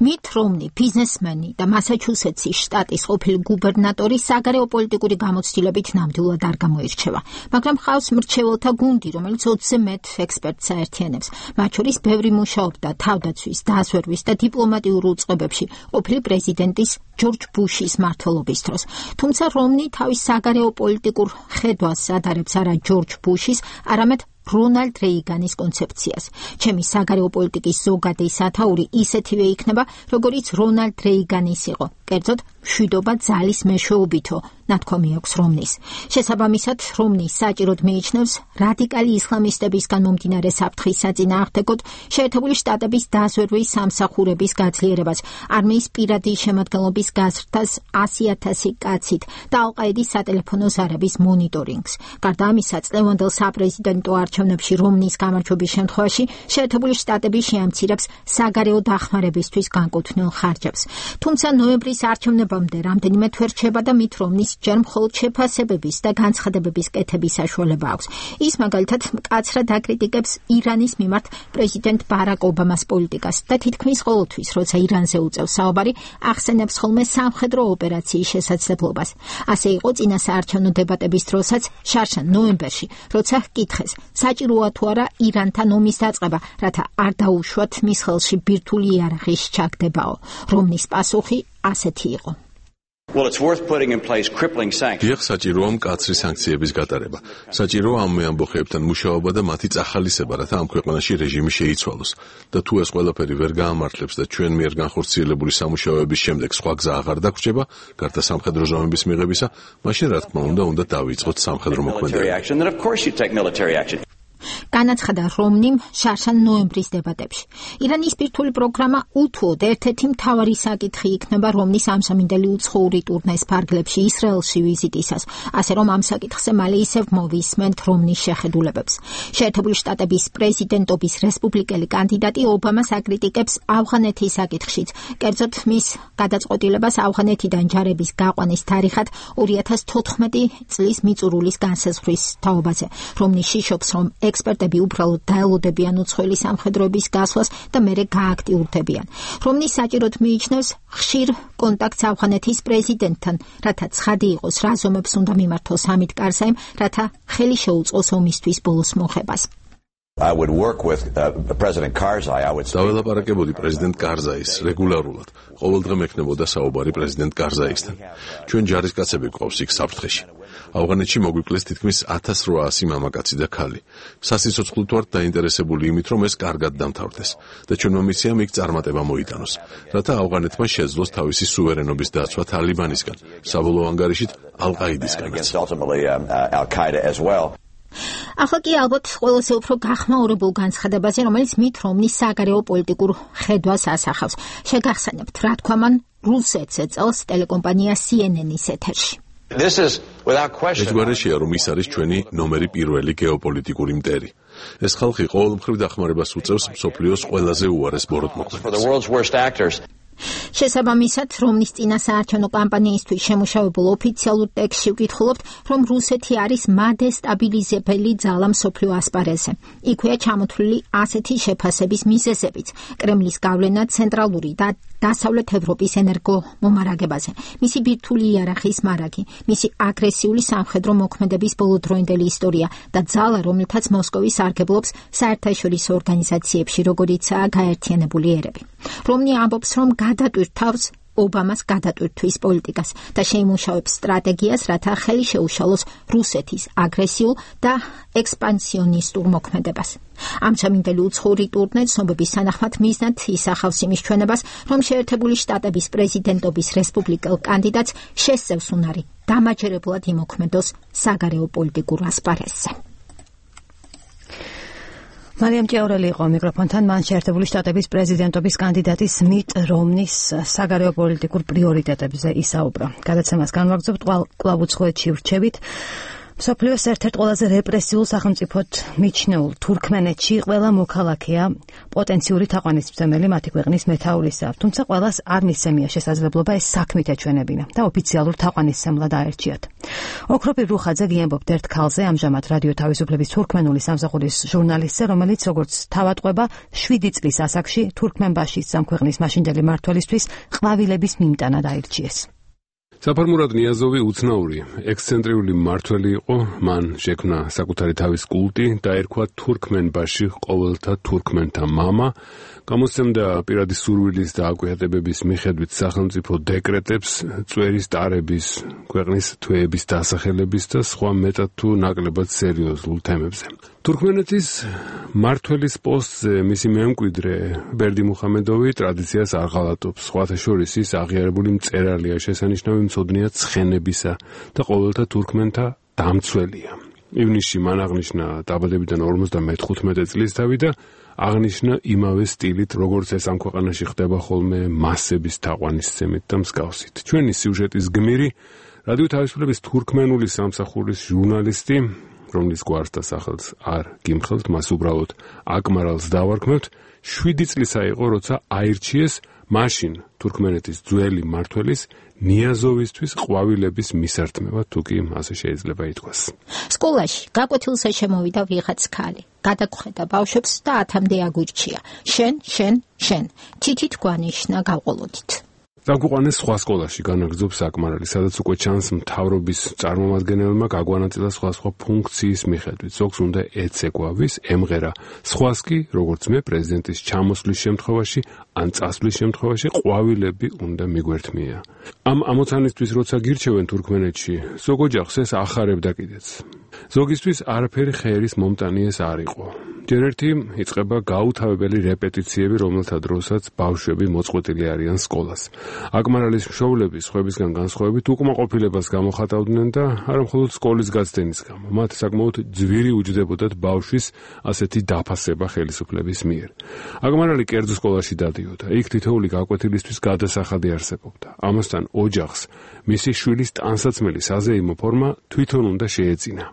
Speaker 2: მიტ რომნი, ბიზნესმენი და მასაჩუსეტსის შტატის ყოფილი გუბერნატორი საგარეო პოლიტიკური გამოცდილებით ნამდვილად არ გამოირჩევა, მაგრამ ხავს მრჩეველთა გუნდი, რომელიც 20-ზე მეტ ექსპერტს აერთიანებს. მათ შორის ბევრი მუშაობდა თავდაცვის, დაზვერვის და დიპლომატიურ უწყებებში ყოფილი პრეზიდენტის ჯორჯ ბუშის მმართველობის დროს. თუმცა რომნი თავის საგარეო პოლიტიკურ ხედვას ადარებს არა ჯორჯ ბუშის, არამედ რონალდ რეიგანის კონცეფციას. ჩემი საგარეო პოლიტიკის ზოგადი სათაური ისეთივე იქნება, როგორიც რონალდ რეიგანის იყო. კერძოდ, მშვიდობა ძალის მეშვეობითო, ნათქვამი აქვს რომნის. შესაბამისად, რომნი საჭიროდ მიიჩნევს რადიკალი ისლამისტებისგან მომდინარე საფრთხის საწინააღმდეგოდ შეერთებული შტატების დაზვერვის სამსახურების გაძლიერებას, არმიის პირადი შემადგენლობის გაზრდას 100,000 კაცით და ალ-ყაიდის სატელეფონო ზარების მონიტორინგს. გარდა ამისა, წლევანდელ საპრეზიდენტო არჩევნებში რომნის გამარჯვების შემთხვევაში შეერთებული შტატები შეამცირებს საგარეო დახმარებისთვის განკუთვნილ ხარჯებს. თუმცა ნოემბრის არჩევნებამდე რამდენიმე თვე რჩება და მით რომნის ჯერ მხოლოდ შეფასებების და განცხადებების კეთების საშუალება აქვს. ის მაგალითად მკაცრად აკრიტიკებს ირანის მიმართ პრეზიდენტ ბარაკ ობამას პოლიტიკას და თითქმის ყოველთვის, როცა ირანზე უწევს საუბარი, ახსენებს ხოლმე სამხედრო ოპერაციის შესაძლებლობას. ასე იყო წინა საარჩევნო დებატების დროსაც შარშან ნოემბერში, როცა ჰკითხეს, საჭიროა თუ არა ირანთან ომის დაწყება, რათა არ დაუშვათ მის ხელში ბირთვული იარაღის ჩაგდებაო. რომნის პასუხი ასეთი იყო.
Speaker 6: დიახ, საჭიროა მკაცრი სანქციების გატარება. საჭიროა ამ ამბოხეებთან მუშაობა და მათი წახალისება, რათა ამ ქვეყანაში რეჟიმი შეიცვალოს. და თუ ეს ყველაფერი ვერ გაამართლებს და ჩვენ მიერ განხორციელებული სამუშაოების შემდეგ სხვა გზა აღარ დაგვრჩება, გარდა სამხედრო ზომების მიღებისა, მაშინ რა თქმა უნდა დავიწყოთ სამხედრო მოქმედება.
Speaker 2: განაცხადა რომნიმ შარშან ნოემბრის დებატებში. ირანის ბირთვული პროგრამა უთუოდ ერთ-ერთი მთავარი საკითხი იქნება რომნის ამსამინდელი უცხოური ტურნეს ფარგლებში ისრაელში ვიზიტისას, ასე რომ ამ საკითხზე მალე ისევ მოვისმენთ რომნის შეხედულებებს. შეერთებული შტატების პრეზიდენტობის რესპუბლიკელი კანდიდატი ობამას აკრიტიკებს ავღანეთის საკითხშიც, კერძოდ მის გადაწყვეტილებას ავღანეთიდან ჯარების გაყვანის თარიღად 2014 წლის მიწურულის განსაზღვრის თაობაზე. რომნი შიშობს, რომ ექსპერტები უბრალოდ დაელოდებიან უცხოელი სამხედროების გასვლას და მერე გააქტიურდებიან. რომნი საჭიროდ მიიჩნევს ხშირ კონტაქტს ავღანეთის პრეზიდენტთან, რათა ცხადი იყოს რა ზომებს უნდა მიმართოს ჰამიდ კარზაიმ, რათა ხელი შეუწყოს ომისთვის ბოლოს მოხებას.
Speaker 6: დაველაპარაკებოდი პრეზიდენტ კარზაის რეგულარულად. ყოველდღე მექნებოდა საუბარი პრეზიდენტ კარზაისთან. ჩვენ ჯარისკაცები გვყავს იქ საფრთხეში. ავღანეთში მოგვიკლეს თითქმის 1800 მამაკაცი და ქალი. სასიცოცხლოდ ვართ დაინტერესებული იმით, რომ ეს კარგად დამთავრდეს და ჩვენმა მისიამ იქ წარმატება მოიტანოს, რათა ავღანეთმა შეძლოს თავისი სუვერენობის დაცვა თალიბანისგან, საბოლოო ანგარიშით ალ-ყაიდისგანაც.
Speaker 2: ახლა კი ალბათ ყველაზე უფრო გახმაურებულ განცხადებაზე, რომელიც მით რომნის საგარეო პოლიტიკურ ხედვას ასახავს. შეგახსენებთ, რა თქვა მან რუსეთს ეწელს ტელეკომპანია CNN-ის ეთერში.
Speaker 6: ეჯგვარეშია, რომ ის არის ჩვენი ნომერი პირველი გეოპოლიტიკური მტერი. ეს ხალხი ყოველმხრივ დახმარებას უწევს მსოფლიოს ყველაზე უარეს ბოროტმოქმედებს.
Speaker 2: შესაბამისად, რომნის წინასაარჩევნო კამპანიისთვის შემუშავებულ ოფიციალურ ტექსტში ვკითხულობთ, რომ რუსეთი არის მადესტაბილიზებელი ძალა მსოფლიო ასპარეზზე. იქვეა ჩამოთვლილი ასეთი შეფასების მიზეზებიც: კრემლის გავლენა ცენტრალური და დასავლეთ ევროპის ენერგომომარაგებაზე, მისი ბირთვული იარაღის მარაგი, მისი აგრესიული სამხედრო მოქმედების ბოლოდროინდელი ისტორია და ძალა, რომელთაც მოსკოვი სარგებლობს საერთაშორისო ორგანიზაციებში, როგორიცაა გაერთიანებული ერები. რომნი ამბობს, რომ გადატვირთავს ობამას გადატვირთვის პოლიტიკას და შეიმუშავებს სტრატეგიას, რათა ხელი შეუშალოს რუსეთის აგრესიულ და ექსპანსიონისტურ მოქმედებას. ამჟამინდელი უცხოური ტურნე ცნობების თანახმად მიზნად ისახავს იმის ჩვენებას, რომ შეერთებული შტატების პრეზიდენტობის რესპუბლიკელ კანდიდატს შესწევს უნარი დამაჯერებლად იმოქმედოს საგარეო პოლიტიკურ ასპარეზზე.
Speaker 1: მარიამ ჭიაურელი იყო მიკროფონთან, მან შეერთებული შტატების პრეზიდენტობის კანდიდატის მიტ რომნის საგარეო პოლიტიკურ პრიორიტეტებზე ისაუბრა. გადაცემას განვაგრძობთ კვლავ უცხოეთში ვრჩებით. მსოფლიოს ერთ-ერთ ყველაზე რეპრესიულ სახელმწიფოდ მიჩნეულ თურქმენეთში ყველა მოქალაქეა პოტენციური თაყვანისმცემელი მათი ქვეყნის მეთაურისა, თუმცა ყველას არ მისცემია შესაძლებლობა ეს საქმით ეჩვენებინა და ოფიციალურ თაყვანისმცემლად აერჩიათ. ოქროპირ რუხაძე გიამბობთ ერთ ქალზე, ამჟამად რადიო თავისუფლების თურქმენული სამსახურის ჟურნალისტზე, რომელიც როგორც თავადყვება 7 წლის ასაკში თურქმენბაშის სამქვეყნის მაშინდელი მმართველისთვის ყვავილების მიმტანად აირჩიეს.
Speaker 8: საფარმურად ნიაზოვი უცნაური, ექსცენტრიული მმართველი იყო, მან შექმნა საკუთარი თავის კულტი, დაერქვა თურქმენბაში ყოველთა თურქმენთა მამა, გამოსცემდა პირადი სურვილის და აკვიატებების მიხედვით სახელმწიფო დეკრეტებს, წვერის ტარების, ქვეყნის თვეების დასახელების და სხვა მეტად თუ ნაკლებად სერიოზულ თემებზე. თურქმენეთის მმართველის პოსტზე მისი მემკვიდრე ბერდი მუხამედოვი ტრადიციას არ ღალატობს, სხვათა შორის ის აღიარებული მწერალია, შესანიშნავი მცოდნეა ცხენებისა და ყოველთა თურქმენთა დამცველია. ივნისში მან აღნიშნა დაბადებიდან 55 წლის თავი და აღნიშნა იმავე სტილით, როგორც ეს ამ ქვეყანაში ხდება ხოლმე მასების თაყვანისცემით და მსგავსით. ჩვენი სიუჟეტის გმირი რადიო თავისუფლების თურქმენული სამსახურის ჟურნალისტი, რომლის გვარს და სახელს არ გიმხელთ, მას უბრალოდ აკმარალს დავარქმევთ, 7 წლისა იყო, როცა აირჩიეს მაშინ თურქმენეთის ძველი მმართველის ნიაზოვისთვის ყვავილების მისართმევა, თუ კი ასე შეიძლება ითქვას.
Speaker 2: სკოლაში გაკვეთილზე შემოვიდა ვიღაც ქალი, გადაგხვედა ბავშვებს და 10-მდე აგვირჩია. შენ, თითით გვანიშნა გავყოლოდით.
Speaker 8: დაგვიყვანეს სხვა სკოლაში განაგრძობს აკმარალი, სადაც უკვე ჩანს მთავრობის წარმომადგენელმა გაგვანაწილა სხვა ფუნქციის მიხედვით. ზოგს უნდა ეცეკვავის, ემღერა. სხვას კი, როგორც მე, პრეზიდენტის ჩამოსვლის შემთხვევაში ან წასვლის შემთხვევაში ყვავილები უნდა მიგვერთმია. ამ ამოცანისთვის როცა გირჩევენ თურქმენეთში, ზოგ ოჯახს ეს ახარებდა კიდეც. ზოგისთვის არაფერი ხერის მომტანი ეს არ იყო. ჯერ ერთი იწყება გაუთავებელი რეპეტიციები, რომელთა დროსაც ბავშვები მოწყვეტილი არიან სკოლას. აკმარალის მშობლები სხვებისგან განსხვავებით უკმაყოფილებას გამოხატავდნენ და არა მხოლოდ სკოლის გაცდენის გამო. მათ საკმაოდ ძვირი უჯდებოდათ ბავშვის ასეთი დაფასება ხელისუფლების მიერ. აკმარალი კერძო სკოლაში დადიოდა. იქ თითოეული გაკვეთილისთვის გადასახადი არსებობდა. ამასთან ოჯახს მისი შვილის ტანსაცმელი საზეიმო ფორმა თვითონ უნდა შეეწინა.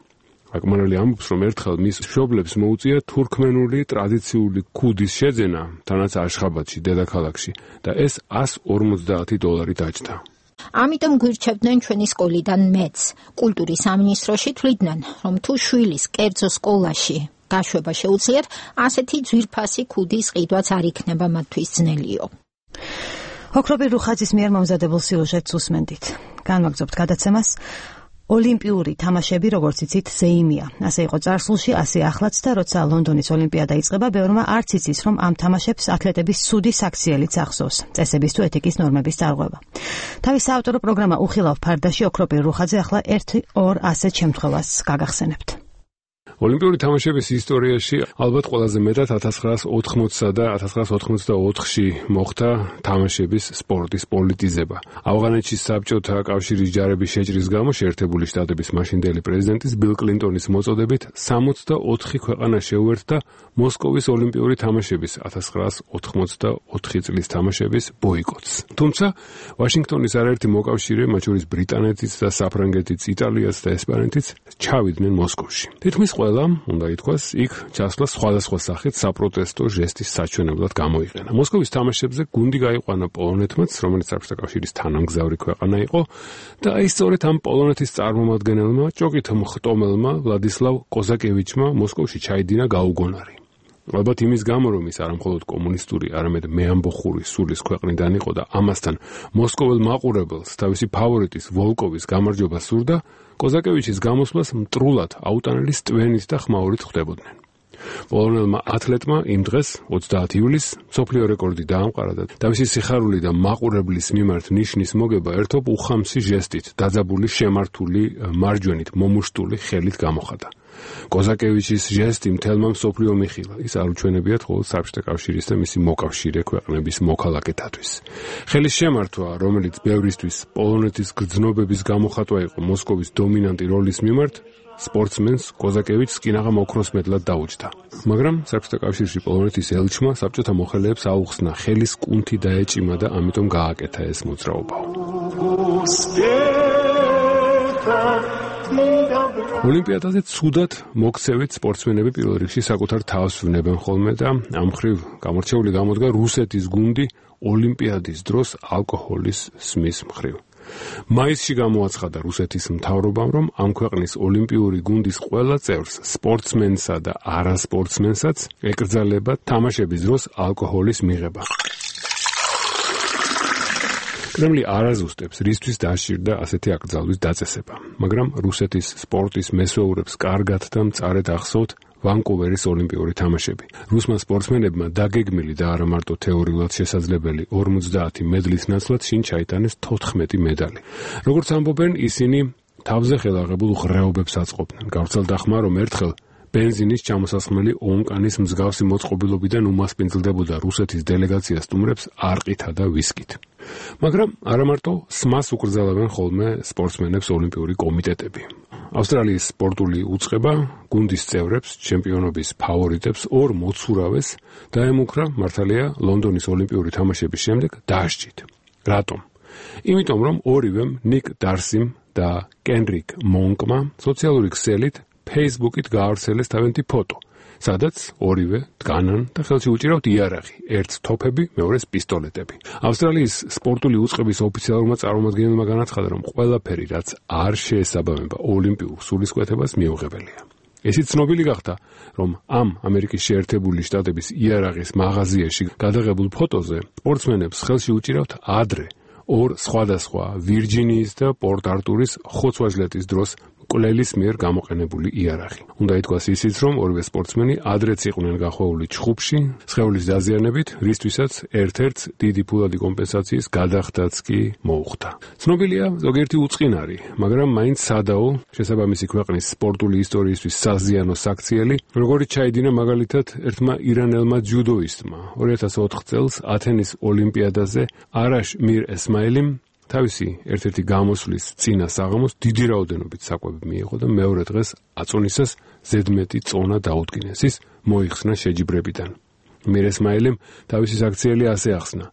Speaker 8: აკმარალი ამბობს, რომ ერთხელ მის მშობლებს მოუწია თურქმენული ტრადიციული ქუდის შეძენა, თანაც აშხაბადში, დედაქალაქში და ეს $150 დაჯდა.
Speaker 2: ამიტომ გვირჩევდნენ ჩვენი სკოლიდან მეც. კულტურის სამინისტროში თვლიდნენ, რომ თუ შვილის კერძო სკოლაში გაშვება შეუძლიათ, ასეთი ძვირფასი ქუდის ყიდვაც არ იქნება მათთვის ძნელიო.
Speaker 1: ოქროპირ რუხაძის მიერ მომზადებულ სიუჟეტს უსმენდით. განვაგრძობთ გადაცემას. ოლიმპიური თამაშები, როგორც იცით, ზეიმია. ასე იყო წარსულში, ასე ახლაც და როცა ლონდონის ოლიმპიადა იწყება, ბევრმა არც იცის, რომ ამ თამაშებს ათლეტების სუდი საქციელიც ახსოვს. წესების თუ ეთიკის ნორმების წარღვევა. თავის საავტორო პროგრამა უხილავ ფარდაში ოქროპირ რუხაძე ახლა 1-2 ასეთ შემთხვევას გაგახსენებთ.
Speaker 8: ოლიმპიური თამაშების ისტორიაში ალბათ ყველაზე მეტად 1980 და 1984-ში მოხდა თამაშების სპორტის პოლიტიზება. ავღანეთში საბჭოთა კავშირის ჯარების შეჭრის გამო შეერთებული შტატების მაშინდელი პრეზიდენტის ბილ კლინტონის მოწოდებით 64 ქვეყანა შეუერთდა მოსკოვის ოლიმპიური თამაშების 1984 წლის თამაშების ბოიკოტს. თუმცა ვაშინგტონის არაერთი მოკავშირე, მათ შორის ბრიტანეთიც და საფრანგეთიც, იტალიაც და ესპანეთიც ჩავიდნენ მოსკოვში. თითქმის ყველამ, უნდა ითქვას, იქ ჩასვლა სხვადასხვა სახით საპროტესტო ჟესტის საჩვენებლად გამოიყენა. მოსკოვის თამაშებზე გუნდი გაიყვანა პოლონეთმაც, რომელიც საბჭოთა კავშირის თანამგზავრი ქვეყანა იყო და აი სწორედ ამ პოლონეთის წარმომადგენელმა ჭოკით მხტომელმა ვლადისლავ კოზაკევიჩმა მოსკოვში ჩაიდინა გაუგონარი. ალბათ იმის გამო, რომ ის არამხოლოდ კომუნისტური, არამედ მეამბოხური სულის ქვეყნიდან იყო და ამასთან მოსკოველ მაყურებელს თავისი ფავორიტის ვოლკოვის გამარჯვება სურდა, კოზაკევიჩის გამოსვლას მტრულად აუტანელი სტვენით და ხმაურით ხვდებოდნენ. პოლონელმა ათლეტმა იმ დღეს 30 ივლისს მსოფლიო რეკორდი დაამყარა და თავისი სიხარული და მაყურებლის მიმართ ნიშნის მოგება ერთობ უხამსი ჟესტით, დაძაბული შემართული მარჯვენით მომუშტული ხელით გამოხატა. კოზაკევიჩის ჟესტი მთელმა მსოფლიო მიხილა. ის არ უჩვენებიათ მხოლოდ საბჭოთა კავშირის და მისი მოკავშირე ქვეყნების მოქალაქეთათვის. ხელის შემართვა, რომელიც ბევრისთვის პოლონეთის გრძნობების გამოხატვა იყო მოსკოვის დომინანტი როლის მიმართ, სპორტსმენს კოზაკევიჩს კინაღამ ოქროს მედლად დაუჯდა. მაგრამ საბჭოთა კავშირში პოლონეთის ელჩმა საბჭოთა მოხელეებს აუხსნა ხელის კუნთი დაეჭიმა და ამიტომ გააკეთა ეს მოძრაობა. ოლიმპიადაზე ცუდად მოქცევით სპორტსმენები პირველ რიგში საკუთარ თავს ვნებენ ხოლმე და ამ მხრივ გამორჩეული გამოდგა რუსეთის გუნდი ოლიმპიადის დროს ალკოჰოლის სმის მხრივ. მაისში გამოაცხადა რუსეთის მთავრობამ, რომ ამ ქვეყნის ოლიმპიური გუნდის ყველა წევრს, სპორტსმენსა და არასპორტსმენსაც ეკრძალება თამაშების დროს ალკოჰოლის მიღება. კრემლი არ აზუსტებს, რისთვის დასჭირდა ასეთი აკრძალვის დაწესება, მაგრამ რუსეთის სპორტის მესვეურებს კარგად და მწარედ ახსოვთ ვანკუვერის ოლიმპიური თამაშები. რუსმა სპორტსმენებმა დაგეგმილი და არა მარტო თეორიულად შესაძლებელი 50 მედლის ნაცვლად შინ ჩაიტანეს 14 მედალი. როგორც ამბობენ, ისინი თავზე ხელაღებულ ღრეობებს აწყობდნენ. გავრცელდა ხმა, რომ ერთხელ ბენზინის ჩამოსასხმელი ონკანის მსგავსი მოწყობილობიდან უმასპინძლდებოდა რუსეთის დელეგაცია სტუმრებს არყითა და ვისკით. მაგრამ არა მარტო სმას უკრძალებენ ხოლმე სპორტსმენებს ოლიმპიური კომიტეტები. ავსტრალიის სპორტული უწყება გუნდის წევრებს, ჩემპიონობის ფავორიტებს ორ მოცურავეს დაემუქრა მართალია ლონდონის ოლიმპიური თამაშების შემდეგ დასჯით. რატომ? იმიტომ რომ ორივემ ნიკ დარსიმ და კენრიკ მონკმა სოციალური ქსელით Facebook-ით გაავრცელეს თავიანთი ფოტო, სადაც ორივე დგანან და ხელში უჭირავთ იარაღი, ერთს თოფები, მეორეს პისტოლეტები. ავსტრალიის სპორტული უწყების ოფიციალურმა წარმომადგენელმა განაცხადა, რომ ყველაფერი, რაც არ შეესაბამება ოლიმპიურ სულისკვეთებას, მიუღებელია. ესიც ცნობილი გახდა, რომ ამ ამერიკის შეერთებული შტატების იარაღის მაღაზიაში გადაღებულ ფოტოზე სპორტსმენებს ხელში უჭირავთ ადრე ორ სხვადასხვა ვირჯინიის და პორტ არტურის ხოცვაჟლეტის დროს მკვლელის მიერ გამოყენებული იარაღი. უნდა ითქვას ისიც, რომ ორივე სპორტსმენი ადრეც იყვნენ გახვეული ჩხუბში, სხეულის დაზიანებით, რისთვისაც ერთ-ერთს დიდი ფულადი კომპენსაციის გადახდაც კი მოუხდა. ცნობილია ზოგიერთი უწყინარი, მაგრამ მაინც სადაო შესაბამისი ქვეყნის სპორტული ისტორიისთვის საზიანო საქციელი, როგორიც ჩაიდინა მაგალითად ერთმა ირანელმა ჯუდოისტმა 2004 წელს ათენის ოლიმპიადაზე არაშ მირ ესმაილიმ თავისი ერთ-ერთი გამოსვლის წინა საღამოს დიდი რაოდენობით საკვები მიიღო და მეორე დღეს აწონისას ზედმეტი წონა დაუდგინეს. ის მოიხსნა შეჯიბრებიდან. მირ ესმაილიმ თავისი საქციელი ასე ახსნა: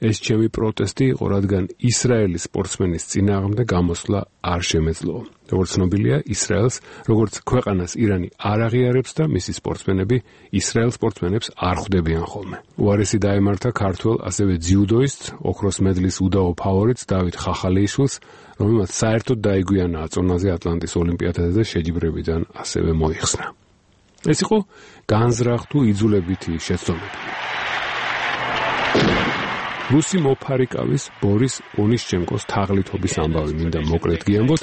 Speaker 8: ეს ჩემი პროტესტი იყო, რადგან ისრაელის სპორტსმენის წინააღმდეგ გამოსვლა არ შემეძლო. როგორც ცნობილია, ისრაელს, როგორც ქვეყანას ირანი არ აღიარებს და მისი სპორტსმენები ისრაელ სპორტსმენებს არ ხვდებიან ხოლმე. უარესი დაემართა ქართველ, ასევე ძიუდოისტს, ოქროს მედლის უდაო ფავორიტს დავით ხახალეიშვილს, რომელმაც საერთოდ დაიგვიანა აწონაზე ატლანტის ოლიმპიადაზე და შეჯიბრებიდან ასევე მოიხსნა. ეს იყო განზრახ თუ იძულებითი შეცდომები. რუსი მოფარიკავის ბორის ონიშჩენკოს თაღლითობის ამბავი მინდა მოკლედ გიამბოთ.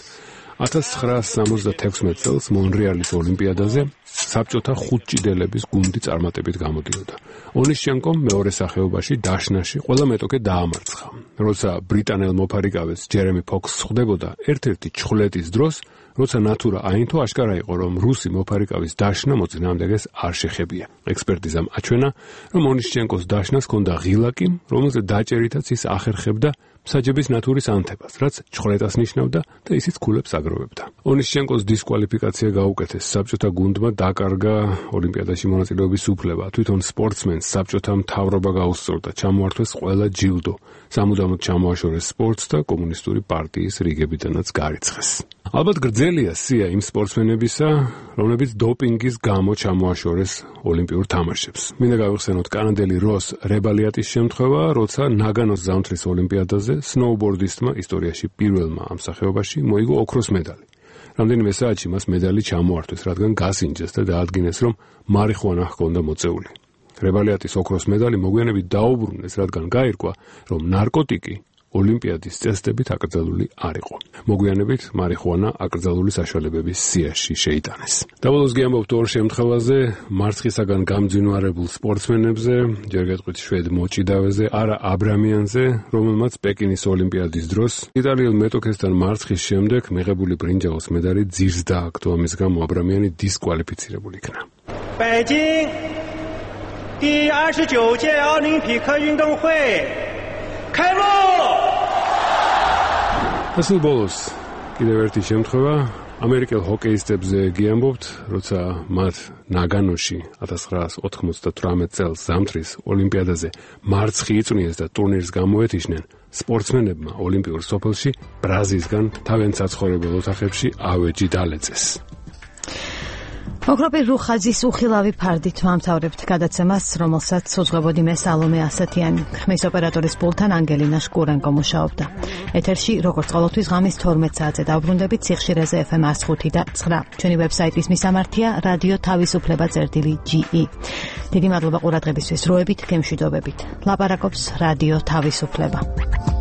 Speaker 8: 1976 წელს მონრეალის ოლიმპიადაზე საბჭოთა ხუთჭიდელების გუნდი წარმატებით გამოდიოდა. ონიშჩენკომ მეორე სახეობაში დაშნაში ყველა მეტოქე დაამარცხა. როცა ბრიტანელ მოფარიკავეს ჯერემი ფოქსს ხვდებოდა ერთ-ერთი ჩხვლეტის დროს, როცა ნატურა აინთო, აშკარა იყო, რომ რუსი მოფარიკავის დაშნა მოწინააღმდეგეს არ შეხებია. ექსპერტიზამ აჩვენა, რომ ონიშჩენკოს დაშნას ჰქონდა ღილაკი, რომელზე დაჭერითაც ის ახერხებდა მსაჯების ნატურის ანთებას, რაც ჩხვრეტას ნიშნავდა და ისიც ქულებს აგროვებდა. ონიშჩენკოს დისკვალიფიკაცია გაუკეთეს, საბჭოთა გუნდმა დაკარგა ოლიმპიადაში მონაწილეობის უფლება. თვითონ სპორტსმენს საბჭოთა მთავრობა გაუსწორდა, ჩამოართვეს ყველა ჯილდო, სამუდამოდ ჩამოაშორეს სპორტს და კომუნისტური პარტიის რიგებიდანაც გარიცხეს. ალბათ გრძელია სია იმ სპორტსმენებისა, რომლებიც დოპინგის გამო ჩამოაშორეს ოლიმპიურ თამაშებს. მინდა გავიხსენოთ კანადელი როს რებალიატის შემთხვევა, როცა ნაგანოს ზამთრის ოლიმპიადაზე სნოუბორდისტმა ისტორიაში პირველმა ამ სახეობაში მოიგო ოქროს მედალი. რამდენიმე საათში მას მედალი ჩამოართვეს, რადგან გასინჯეს და დაადგინეს, რომ მარიხუანა ჰქონდა მოწეული. რებალიატის ოქროს მედალი მოგვიანებით დაუბრუნეს, რადგან გაირკვა, რომ ნარკოტიკი ოლიმპიადის წესდებით აკრძალული არ იყო. მოგვიანებით მარიხუანა აკრძალული საშუალებების სიაში შეიტანეს. დაბოლოს გიამბობთ ორ შემთხვევაზე, მარცხისაგან გამძინვარებულ სპორტსმენებზე, ჯერ გეტყვით შვედ მოჭიდავეზე, არა აბრამიანზე, რომელმაც პეკინის ოლიმპიადის დროს იტალიელ მეტოქესთან მარცხის შემდეგ მიღებული ბრინჯაოს medali ძირს დააგდო, ამის გამო აბრამიანი დისკვალიფიცირებული იქნა.
Speaker 9: 北京第29届奥林匹克运动会开幕!
Speaker 8: ასულ ბოლოს კიდევ ერთი შემთხვევა ამერიკელ ჰოკეისტებზე გიამბობთ, როცა მათ ნაგანოში 1998 წელს ზამთრის ოლიმპიადაზე მარცხი იწვნიეს და ტურნირს გამოეთიშნენ, სპორტსმენებმა ოლიმპიურ სოფელში ბრაზისგან თავიანთ საცხოვრებელ ოთახებში ავეჯი დალეწეს.
Speaker 1: ოქროპირ რუხაძის უხილავი ფარდით ვამთავრებთ გადაცემას, რომელსაც უძღვებოდი მე სალომე ასათიანი, ხმის ოპერატორის პულთან ანგელინა შკურენკო მუშაობდა. ეთერში როგორც ყოველთვის ღამის 12 საათზე დავბრუნდებით სიხშირეზე FM 105 და 9. ჩვენი ვებსაიტის მისამართია რადიო თავისუფლება.ge. დიდი მადლობა ყურადღებისთვის, როებით, გემშვიდობებით. ლაპარაკობს რადიო თავისუფლება.